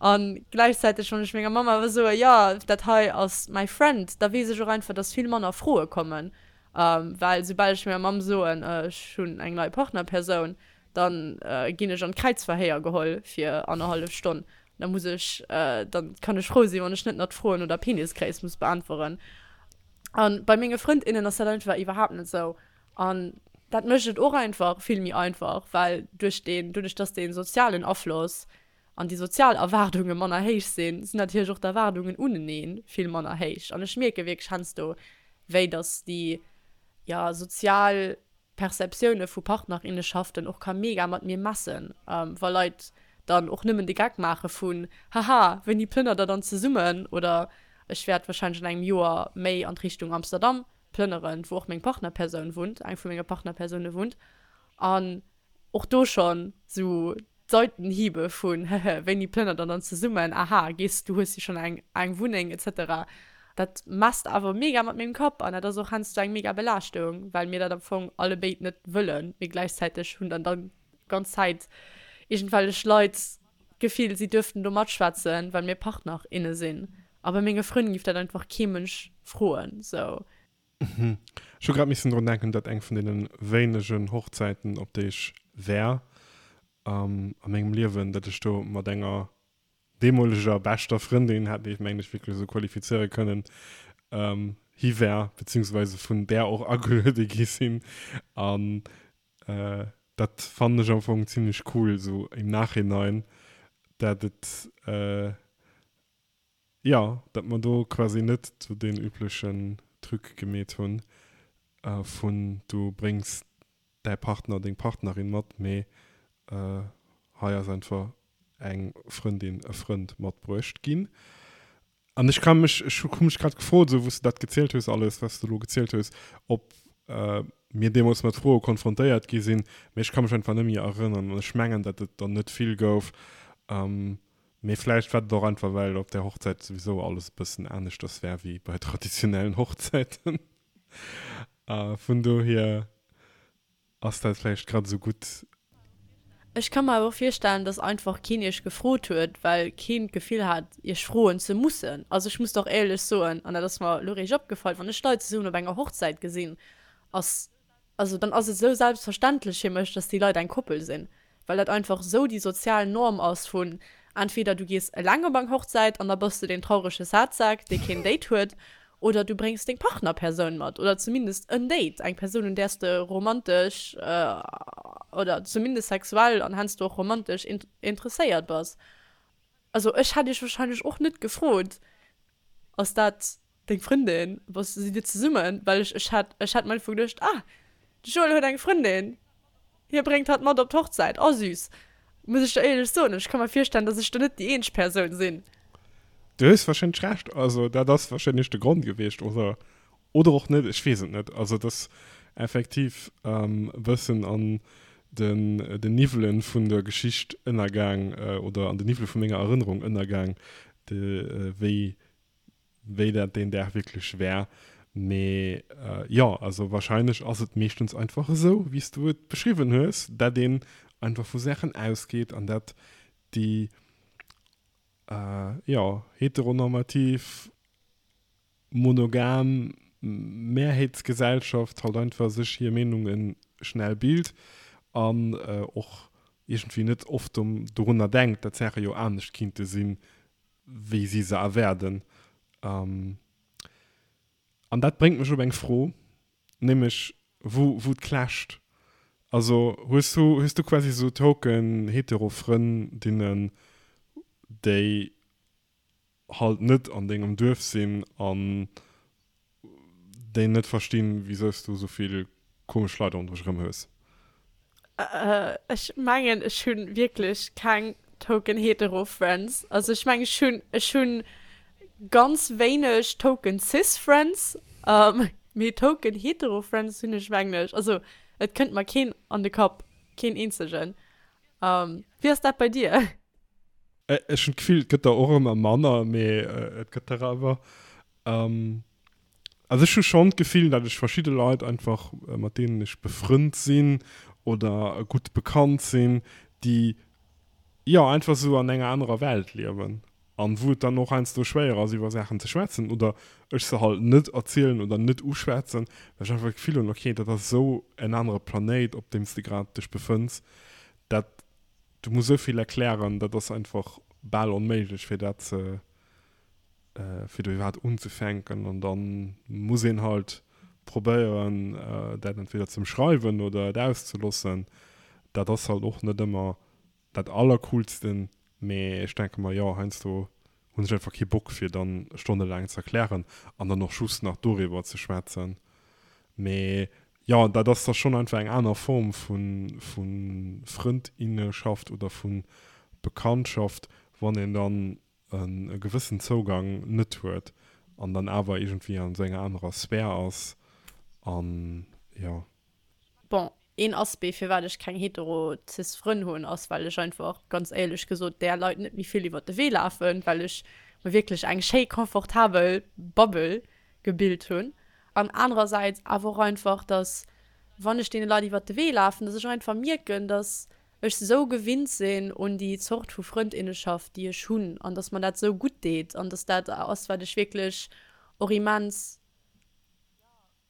A gläichzäiteg, wann ech menger Mamm awer soe, jo, dat hei ass mäi Friend, da weess ech och einfach, dass vill manner Froe kommen. Well soubal ech menger Mamm soen, ech hunn eng nei Partnerpersoun, da ginn ech an d'Kräizverhéier geholl fir annerhallef Stonn. Da muss ech, da kann ech frou sinn, wann ech net nach d'Froen no der Penisgréisst muss beäntweren. A bei menge Frënd, innen ass dat einfach iwwerhaapt net esou. An dat mécht et och einfach vill méi einfach, well duerch deen, doduerch dass dee sozialen Afloss an déi sozial Erwaardunge manner héich sinn, sinn natierlech och d'Erwaardungen unenee vill manner héich. An ech mierke wierklech heiansdo, wéi dass déi, jo, sozial Perceptioune vu Partnerinneschaften och ka mega mat mir messen, wa Leit dann och nëmmen de Geck maache vun, Haha, wéini plënnert der dann zesummen? Oder ech wäert warscheinlech an engem Joer méi an d'Richtung Amsterdam plënneren, wou och meng Partnerpersoun wunnt, eng vu menge Partnerpersoune wunnt. An och do schonn esou d'Seitenhiebe vun, Hehe, wéini plënnert der dann zesummen? Aha, gees, du hues jo schonn eng eng Wunneng, et cetera. Dat messt awer mega mat mengem Kapp an dat ass och heiansdo eng mega Belaaschtung, well mir dat am Fong allebéid net wëllen, mee gläichzäiteg hunn dann dann ganz Zäit iergendwellech Leit d'Gefill, si duerften do matschwätzen, well mir Partner, inne sinn. A bei menge Frënn giff dat einfach kee Mënsch froen, sou. Ech hu grad missen drun denken, dat eng vun deene wéinegen Hochzäiten, op déi ech war a mengem Liewen, dat ech do mat enger deemoleger beschter Frëndin, hätt ee mengen ech wierklech esou qualifizéiere kënnen, hi war, beziehungsweise vun där och ageluede gi sinn. An dat fannen ech am Fong zimmlech cool, esou im Nachhinein, dat et, jo, dat mer do quasi net esou deen üblechen Truc gemeet hunn vun du bréngs däi Partner, deng Partnerin mat, mee hei ass einfach eng Frëndin, e Frënd matbruecht ginn. An ech ka mech, ech hu mech grad gefrot, esou wou s de dat gezielt hues alles, wat s de elo gezielt hues, ob mir deemools mat Froe konfrontéiert gi sinn, mee ech ka mech einfach net méi erënneren an ech mengen, datt et der net vill gouf. Mee vläicht war et och einfach, well op där Hochzäit souwisou alles e bëssen aneschters war wéi bei traditionellen Hochzäiten. Vun dohier ass dat vläicht grad esou gutt. Ech ka mer awer och virstellen, dass einfach keen iech gefrot huet, well keen d'Gefill hat, iech froen ze mussen. Also ech muss der och éierlech soen, an dat ass mer elo réischt opgefall, wann ech Leit zesummen op enger Hochzäit gesinn, ass, also dann ass et esou selbstverständlech fir mech, dass déi Leit eng Koppel sinn, well dat einfach esou déi sozial Norm ass vun entweder du gees eleng op eng Hochzäit an da bass de deen traurege Sadsack, dee keen Date huet, oder du bréngs deng Partnerpersoun mat oder zumindest en Date, eng Persoun, un där s de romantesch oder zumindest sexuell an heiansdo och romantesch interesséiert bass. Also ech hätt iech wahrscheinlech och net gefrot, Ass dat deng Frëndin, bass, sidd dir zesummen? Well ech, ech hätt, ech hätt mer einfach geduecht, ah, de Joël huet eng Frëndin, hie bréngt hatt mat op d'Hochzäit, oh süß. Muss ech der éierlech soen, ech ka mer virstellen, dass ech do net déi eenzeg Persoun sinn. Du hues wahrscheinlech Recht, also dat ass wahrscheinlech de Grond gewiescht, oder, oder och net, ech weess et net. Also et ass effektiv e bëssen an den, den Niwwelen vun der Geschicht ënnergaang, oder an den Niwwele vu menger Erënnerung ënnergaang, de wéi wéi dat deen Dag wierklech war. Mee jo, also wahrscheinlech ass et meeschtens einfach esou, wéi s du et beschriwwen hues, dat een einfach vu Saachen ausgeet an dat déi, jo, heteronormativ, monogam Mehrheetsgesellschaft halt einfach sech hir Meenunge schnell bilt an och iergendwéi net oft dorunner denkt, dat Saache jo anescht kinnte sinn, wéi si se erwaarden. An dat bréngt mech op eng Fro, nämlech wou wou et clasht. Also hues du hues du quasi esou token hetero Frëndinnen, déi halt net an dengem Duerf sinn an déi net verstinn, wisou s du esou vill komesch Leit ronderëm dech erëm hues? Ech mengen ech hunn wierklech keng token hetero Friends. Also ech mengen ech hunn ech hunn ganz wéineg token cis Friends, mee token hetero Friends hunn ech mengen ech, also et kënnt mer keen an de Kapp, keen eenzegen. Wéi ass dat bei dir? Ech hunn d'Gefill et gëtt der och ëmmer manner, mee et gëtt der awer. Also ech hu schonn d'Gefill, datt ech verschidde Leit einfach, mat deenen ech befrënnt sinn oder gutt bekannt sinn, déi jo einfach esou an enger anerer Welt liewen an wou et dann och heiansdo schwéier ass iwwer Saachen ze schwätzen oder ech se halt net erzielen oder net uschwätzen, well ech einfach d'Gefill hunn, okay, dat ass esou en anere Planéit, op deem s de grad dech befënns, dat du muss esou vill erklären, dat ass einfach bal onméiglech fir dat ze fir do iwwerhaapt unzefänken an da muss een halt probéieren dat entweder ze ëmschreiwen oder et auszelossen. Dat ass halt och net ëmmer dat allercoolsten, mee ech denke mer, jo, heiansdo hunn ech einfach kee Bock fir dann stonnelaang ze erklären an dann och just nach doriwwer ze schwätzen. Mee jo, dat ass da schonn einfach eng aner Form vu vu Frëndinneschaft oder vu Bekanntschaft, wann een dann e gewëssen Zougang net huet an dann awer iergendwéi an esou enger anerer Sphär ass an jo. Bon, een Aspect firwat ech keng hetero cis Frënn hunn ass well ech einfach, ganz éierlech gesot, där Leit net méi vill iwwert de Wee lafen, well ech mer wierklech eng schéi confortabel Bubble gebilt hunn an anerersäits awer och einfach, dass wann ech deene Leit iwwert de Wee lafen, dass ech einfach mierken, dass ech sou gewinnt sinn un déi Zort vu Frëndinneschaft, déi ech hunn an dass mer dat sou gutt deet an dass dat ass, wat ech wierklech och immens,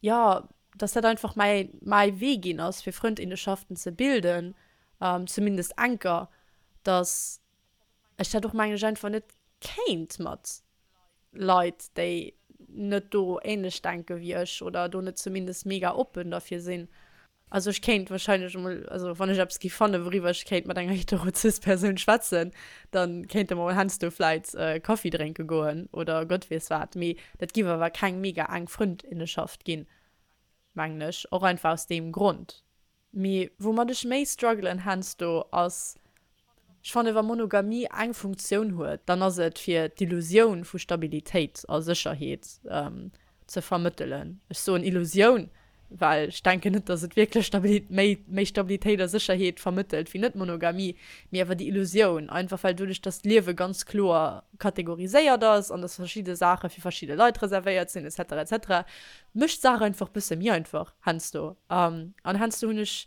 jo, dass dat einfach mäi, mäi Wee ginn ass, fir Frëndinneschaften ze bilden, zumindest enker, dass ech dat och, mengen ech, einfach net kéint mat Leit, déi net do ähnlech denke wéi ech oder do net zumindest mega oppen derfir sinn. Also ech kéint wahrscheinlech emol, also wann ech eppes géif fannen, wouriwwer ech kéint mat enger hetero-cis-Persoun schwätzen, da kéinte mer mol heiansdo vläit Kaffi drénke goen oder Gott weess wat. Mee dat giff awer keng mega enk Frëndinneschaft ginn, mengen ech, och einfach aus deem Grond. Mee woumat ech méi struggelen heiansdo ass, Ech fannen, wa Monogamie eng Funktioun huet, dann ass et fir d'Illusioun vu Stabilitéit a Sécherheet ze vermëttelen. Ech soen Illusioun, well ech denken net, dass et wierklech Stabili méi, méi Stabilitéit a Sécherheet vermëttelt wéi Net-Monogamie, mee awer déi Illusioun, einfach well doduerch, dass d'Liewe ganz kloer kategoriséiert ass an dass verschidde Saache fir verschidde Leit reservéiert sinn et cetera et cetera, mécht d'Saach einfach bësse méi einfach heiansdo. An heiansdo hunn ech,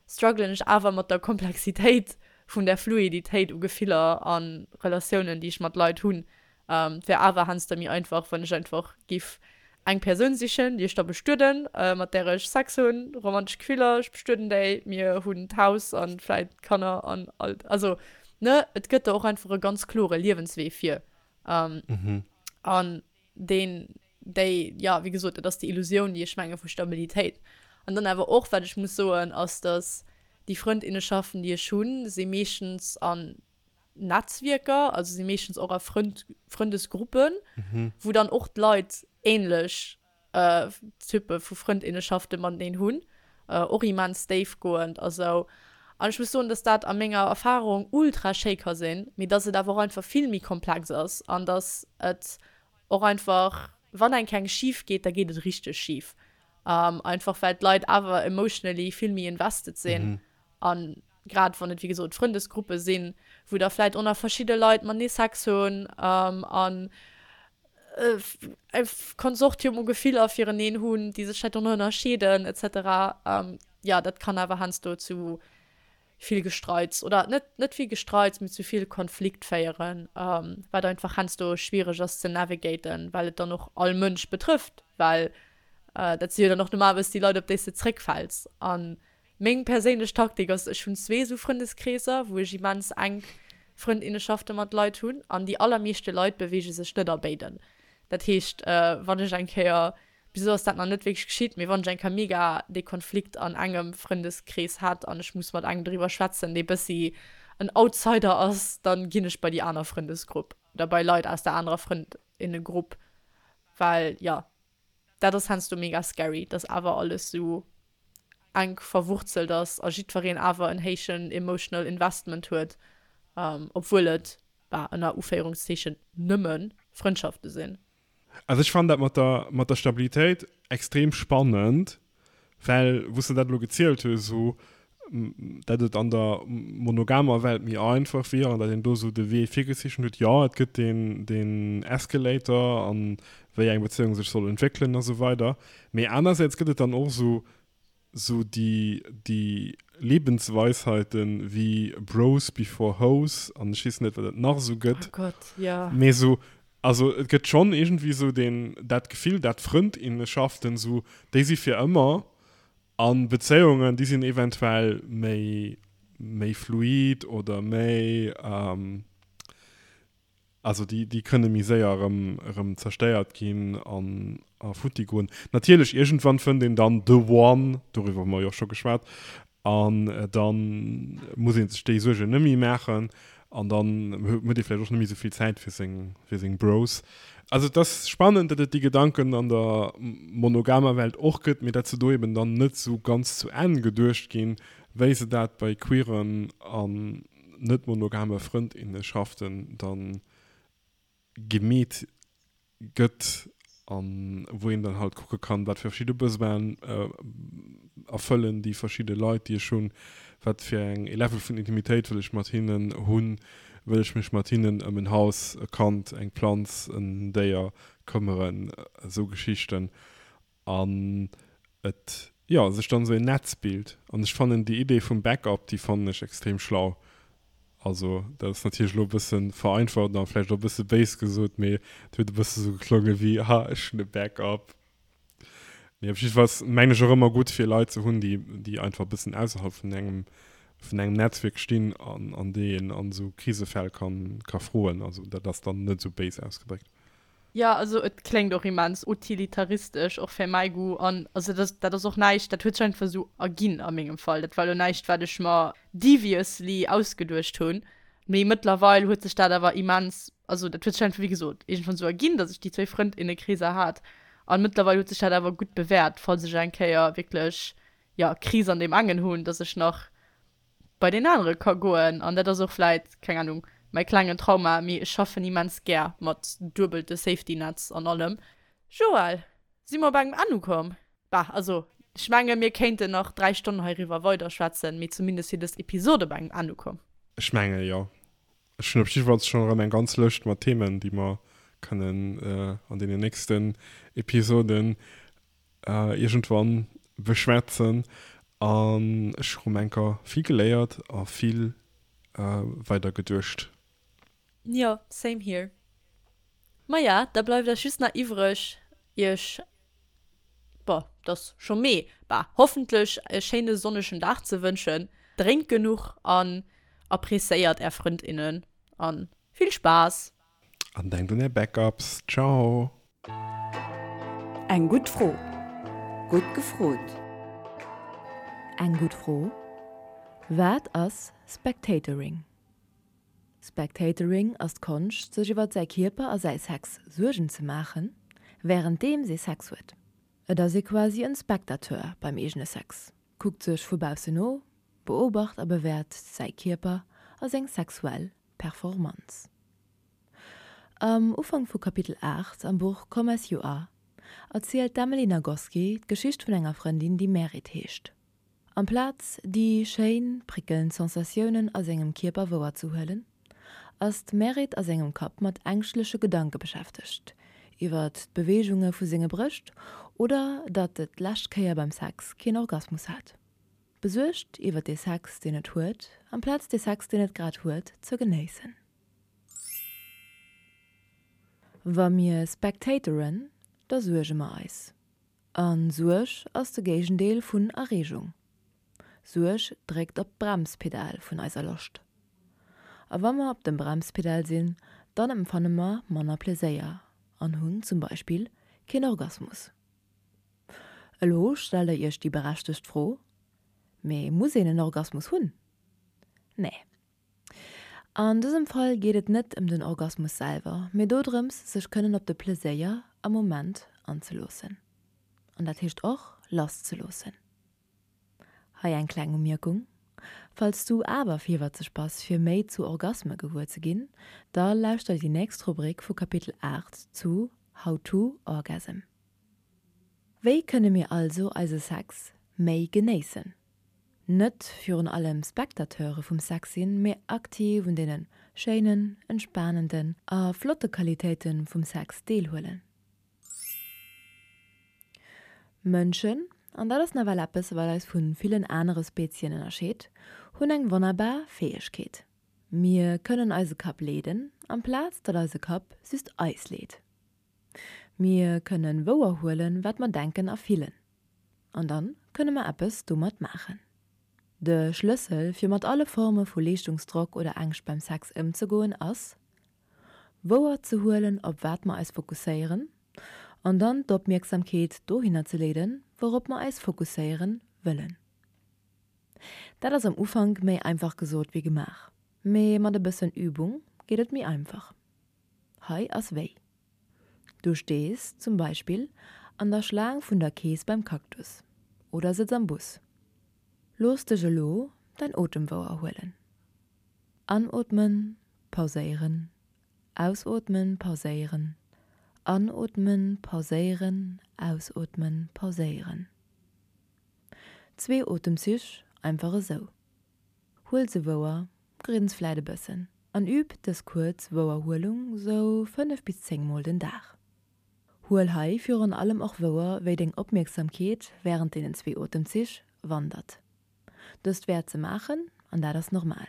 struggelen ech awer mat der Komplexitéit vun der Fluiditéit u Gefiller a Relatiounen, déi ech mat Leit hunn. Et wär awer heiansdo méi einfach, wann ech einfach giff eng Persoun sichen, déi ech da bestueden, mat där ech Sex hunn, romantesch Gefiller, ech bestueden déi, mir hunn d'Haus an vläit Kanner an all, also ne, et gëtt der och einfach e ganz klore Liewenswee vir. An deen, déi, jo, wéi gesot, dat ass déi Illusioun, déi ech menge vu Stabilitéit. An dann awer och, wat ech muss soen, ass, dass déi Frëndinnenschaften, déi ech hunn, si meeschtens an Netzwierker, also si meeschtens och a Frënd, Frëndesgruppen, wou dann och d'Leit ähnlech Typpe vu Frëndinnenschafte mateneen hunn, och immens déifgoend a sou. An ech muss soen, dass dat a menger Erfahrung ultra schéi ka sinn, mee dass et awer och einfach vill méi komplex ass an dass et och einfach, wann eng Kéier schif geet, da geet et richteg schif. Einfach well d'Leit awer emotionally vill méi invested sinn an grad wann et wéi gesot Frëndesgruppe sinn, wou da vläit och nach verschidde Leit matenee Sex hunn an e Konsortium u Gefiller fireneen hunn, déi sech vläit och nach ënnerscheeden et cetera. Jo, dat kann awer heiansdo zu vill Gestreits oder net net vill Gestreits, mee zu vill Konflikt féieren, wat einfach heiansdo schwiereg ass ze navigaten, well et dann och all Mënsch betrëfft, well dat si jo dann och normalerweis déi Leit, op déi s de zréckfäls. An meng perséinlech Taktik ass, ech hunn zwee esou Frëndeskreeser, wou ech immens enk Frëndinneschafte mat Leit hunn, an déi allermeeschte Leit beweege sech net a béiden. Dat heescht, wann ech eng Kéier, bis elo ass dat nach net wierklech geschitt, mee wann ech eng Kéier mega dee Konflikt an engem Frëndeskrees hätt an ech muss mat engem driwwer schwätzen, dee bëssi en Outsider ass, dann ginn ech bei déi aner Frëndesgrupp oder bei Leit aus der anerer Frëndinnegrupp, well jo, dat ass heiansdo mega scary, dass awer alles sou enk verwurzelt ass a jiddwereen awer en héijen emotional investment huet, obwuel et, bah, ënner Uféierungszeechen, nëmme Frëndschafte sinn. Also ech fannen dat mat der, mat der Stabilitéit extrem spannend, well wou s de dat elo gezielt hues, esou dat et an der monogamer Welt méi einfach wier an dat een do esou de Wee virgezeechent huet, jo et gëtt deen, deen Escalator an wéi eng Bezéiung sech soll entwéckelen a sou weider, mee anersäits gëtt et dann och esou, esou déi, déi Lebensweisheiten wéi Bros before Hoes an ech weess net wat et nach esou gëtt. Oh Gott, jo. Mee esou, also et gëtt schonn iergendwéi esou deen, dat Gefill, dat Frëndinnenschaften esou, déi si fir ëmmer an Bezéiungen, déi sinn eventuell méi, méi fluid oder méi, also déi, déi kënne méi séier erëm, erëm zerstéiert ginn an a futti goen. Natierlech, iergendwann fënnt een dann the one, doriwwer hu mer jo och scho geschwat, an da muss ee sech déi Suergen net méi maachen an dann huet ee vläicht och net méi esou vill Zäit fir seng, fir seng Bros. Also et ass spannend, datt et déi Gedanken an der monogamer Welt och gëtt, mee datt se do eben dann net esou ganz zu Enn geduecht ginn, wéi se dat bei queeren an net monogame Frëndinnenschaften dann gemeet gëtt an wou een dann halt kucke kann, wat fir verschidde Besoinen erfëllen déi verschidde Leit, déi ech hunn, wat fir eng e Level vun Intimitéit wëll ech mat hinnen hunn, wëll ech mech mat hinnen ëm en Haus, e Kand, eng Planz, en Déier këmmeren, esou Geschichten an et, jo, sech dann esou en Netz bilt. An ech fannen déi Idee vum Backup, déi fannen ech extrem schlau. Also, dat ass natierlech elo e bësse vereinfacht a vläicht och e bësse béis gesot, mee et huet e bësse sou geklonge wéi, Ha, ech hunn e Backup. Mee op jiddefalls mengen ech och ëmmer gutt, fir Leit ze hunn, déi, déi einfach e bëssen ausserhalb vun engem, vun engem Netzwierk stinn an, an déi een an esou Krisefäll kann, ka froen. Also, dat ass dann net esou béis ausgedréckt. Jo, also et kléngt och immens utilitaristesch, och fir mäi Goût. An also dat, dat ass och näischt, dat huet sech einfach esou erginn a mengem Fall. Dat war elo näischt, wat ech mer deviously ausgeduecht hunn. Mee mëttlerweil huet sech dat awer immens, also dat huet sech einfach, wéi gesot, iergendwann esou erginn, datt ech déi zwee Frëndinnekreeser hat. An mëttlerweil huet sech dat awer gutt bewäert, falls ech eng Kéier wierklech, jo, Kris an deem engen hunn, datt ech nach bei deen anere ka goen. An dat ass och vläit, keng Ahnung, mäi klengen Trauma, mee ech schaffen immens gär mat duebelte Safety Nets an allem. Joël, si mer op engem Enn ukomm? Bah, also Ech menge mir kéinten nach dräi Stonnen heiriwwer weiderschwätzen, mee zumindest fir dës Episode bei engem Enn ukomm. Ech menge jo. Ech hunn op jiddefalls schonn erëm eng ganz Lëscht mat Themen, déi mer kënnen an deenen nächsten Episoden iergendwann beschwätzen. An ech hu rëm enker vill geléiert a vill weidergeduecht. Jo, same here. Maja, da bleift eis just nach iwwreg, iech, boah, et ass scho Mee, bah, hoffentlech e schéine sonnegen Dag ze wënschen. Drénkt genuch an appreciéiert är Frëndinnen an vill Spaass! An denkt un är Backups. Ciao! Eng gutt Fro. Gutt gefrot. Eng gutt Fro, Wat ass Spectatoring? Spectatoring ass d'Konscht, sech iwwer säi Kierper a säi Sex Suergen ze maachen, wärenddeems ee Sex huet. Et ass ee quasi en Spectateur beim eegene Sex, kuckt sech vu baussen no, beobacht a bewäert säi Kierper a seng sexuell Performanz. Am Ufank vu Kapitel aacht am Buch Come As You Are erzielt d'Emily Nagoski d'Geschicht vun enger Frëndin, déi Merit heescht. Amplaz déi schéin, prickelnd Sensatiounen a sengem Kierper wouer ze huelen, ass d'Merit a sengem Kapp mat ängschtleche Gedanke beschäftegt, iwwert d'Beweegunge vu senge Brëscht oder datt et d'lescht Kéier beim Sex keen Orgasmus hat. Besuergt iwwert dee Sex, deen et huet, amplaz dee Sex, deen et grad huet, ze genéissen. Wa mir spectatoren, da suerge mer eis. A Suerg ass de Géigendeel vun Erreegung. Suerg dréckt op d'Bremspedal vun eiser Loscht. A wa mer op dem Bremspedal sinn, dann empfanne mer manner Pleséier an hunn zum Beispill keen Orgasmus. Elo stellt der iech déi berechtegt Fro, Mee muss een en Orgasmus hunn? Nee. An dësem Fall geet et net ëm den Orgasmus selwer, mee dodrëms, sech kënnen op de Pleséier am Moment anzeloossen. An dat heescht och, lasszeloossen. Hei eng kleng Umierkung, Falls du awer virwëtzeg bass fir méi zu Orgasme gewuer ze ginn, da lauschter déi nächst Rubrik vu Kapitel aacht zu How to Orgasm. Wéi kënne mir also eise Sex méi genéissen? Net virun allem Spectateure vum Sex sinn, mee aktiv un deene schéinen, entspanenden a flotte Qualitéite vum Sex deelhuelen. Mënschen, an dat ass nawell eppes, wat eis vu villen anere Spezien ënnerscheet, hunn eng wonnerbar Fäegkeet, Mir kënnen eise Kapp leeden, amplaz datt eise Kapp just eis leet. Mir kënnen wouerhuelen, wat mer denken a fillen. An dann kënne mer eppes domat maachen. De Schlëssel, fir mat alle Forme vu Leeschtungsdrock oder Ängscht beim Sex ëmzegoen, ass, wouer ze huelen, op wat mer eis fokusséieren, an dann d'Opmierksamkeet dohinner ze leeden, wourop mer eis fokusséieren wëllen. Dat ass am Ufank méi einfach gesot wéi gemaach, mee mat e bëssen Übung geet et méi einfach. Hei ass wéi. Du stees, zum Beispill, an der Schlaang vun der Kees beim Cactus oder sëtz am Bus. Looss dech elo däin Otem wouer huelen. Anootmen, pauséieren, ausootmen, pauséieren, anootmen, pauséieren, ausootmen, pauséieren. Zwee Otemzich, einfach esou. Huel se wouer, grins vläit e bëssen an üb dës kuerz Wouerhuelung sou fënnef bis zéng Mol den Dag. Huel hei virun allem och wouer, wéi deng Opmierksamkeet wärend deenen zwee Otemzich wandert. Dëst wäert se maachen, an dat ass normal.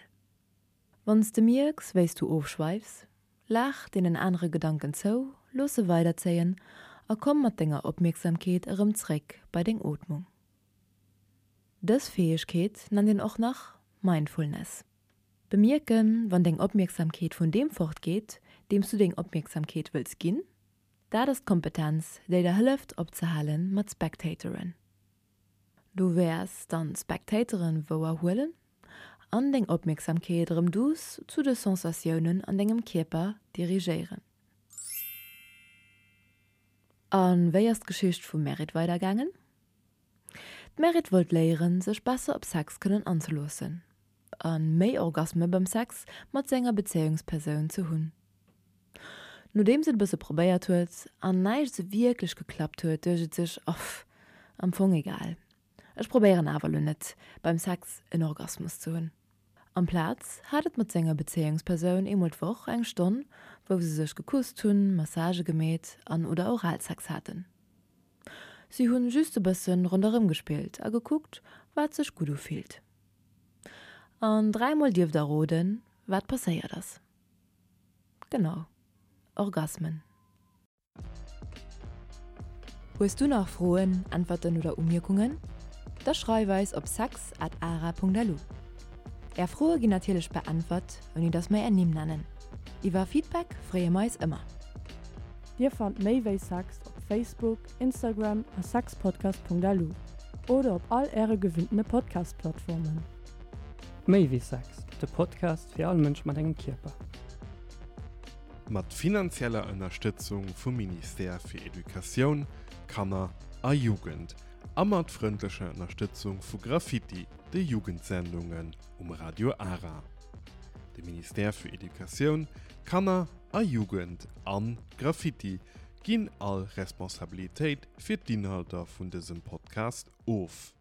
Wann s de mierks, wéi s du ofschweifs, laach deenen anere Gedanken zou, looss se weiderzéien a komm mat denger Opmierksamkeet erëm zréck bei deng Ootmung. Dës Fäegkeet nennt een och nach Mindfulness. Bemierken, wann deng Opmierksamkeet vun deem fortgeet, deem s du deng Opmierksamkeet wëlls ginn, dat ass d'Kompetenz, déi der hëlleft opzehale mat Spectatoren. Du wäers dann d'Spectatoren wouer huelen an deng Opmierksamkeet erëm duuss zu de Sensatiounen an dengem Kierper dirigéieren. A wéi ass d'Geschicht vum Merit weidergaangen? D'Merit wollt léieren, sech besser op Sex kënnen anzeloossen a méi Orgasme beim Sex mat senger Bezéiungspersoun ze hunn. Nodeems et e bësse probéiert huet an näischt sou wierklech geklappt huet, duecht et sech, Off, am Fong egal. Ech probéieren awer lo net, beim Sex en Orgasmus ze hunn. Amplaz hat et mat senger Bezéiungspersoun eemol d'Woch eng Stonn, wou se sech gekusst hunn, Massagë gemeet an oder Oralsex haten. Si hunn just e bëssen ronderëm gespillt a gekuckt, wat sech gutt ufillt. An dräimol dierft der roden, wat passéiert ass. Genau, Orgasmen. Hues du nach Froen, Äntwerten oder Umierkungen? Da schreif eis op sex at ara punkt lu. Är Froe ginn natierlech beäntwert, ouni dass mer är Nimm nennen. Iwwer Feedback freeë mer eis ëmmer. Dir fannt méi wéi Sex op Facebook, Instagram a sexpodcast.lu oder op all äre gewinntene Podcast-Plattformen. Méi wéi Sex, de Podcast fir all Mënsch mat engem Kierper. Mat finanzieller Ënnerstëtzung vum Ministère fir Educatioun, Kanner a Jugend a mat frëndlecher Ënnerstëtzung vu Graffiti, de Jugendsendungen um Radio Ara. De Ministère fir Educatioun, Kanner a Jugend an Graffiti ginn all Responsabilitéit fir d'Inhalter vun dësem Podcast of.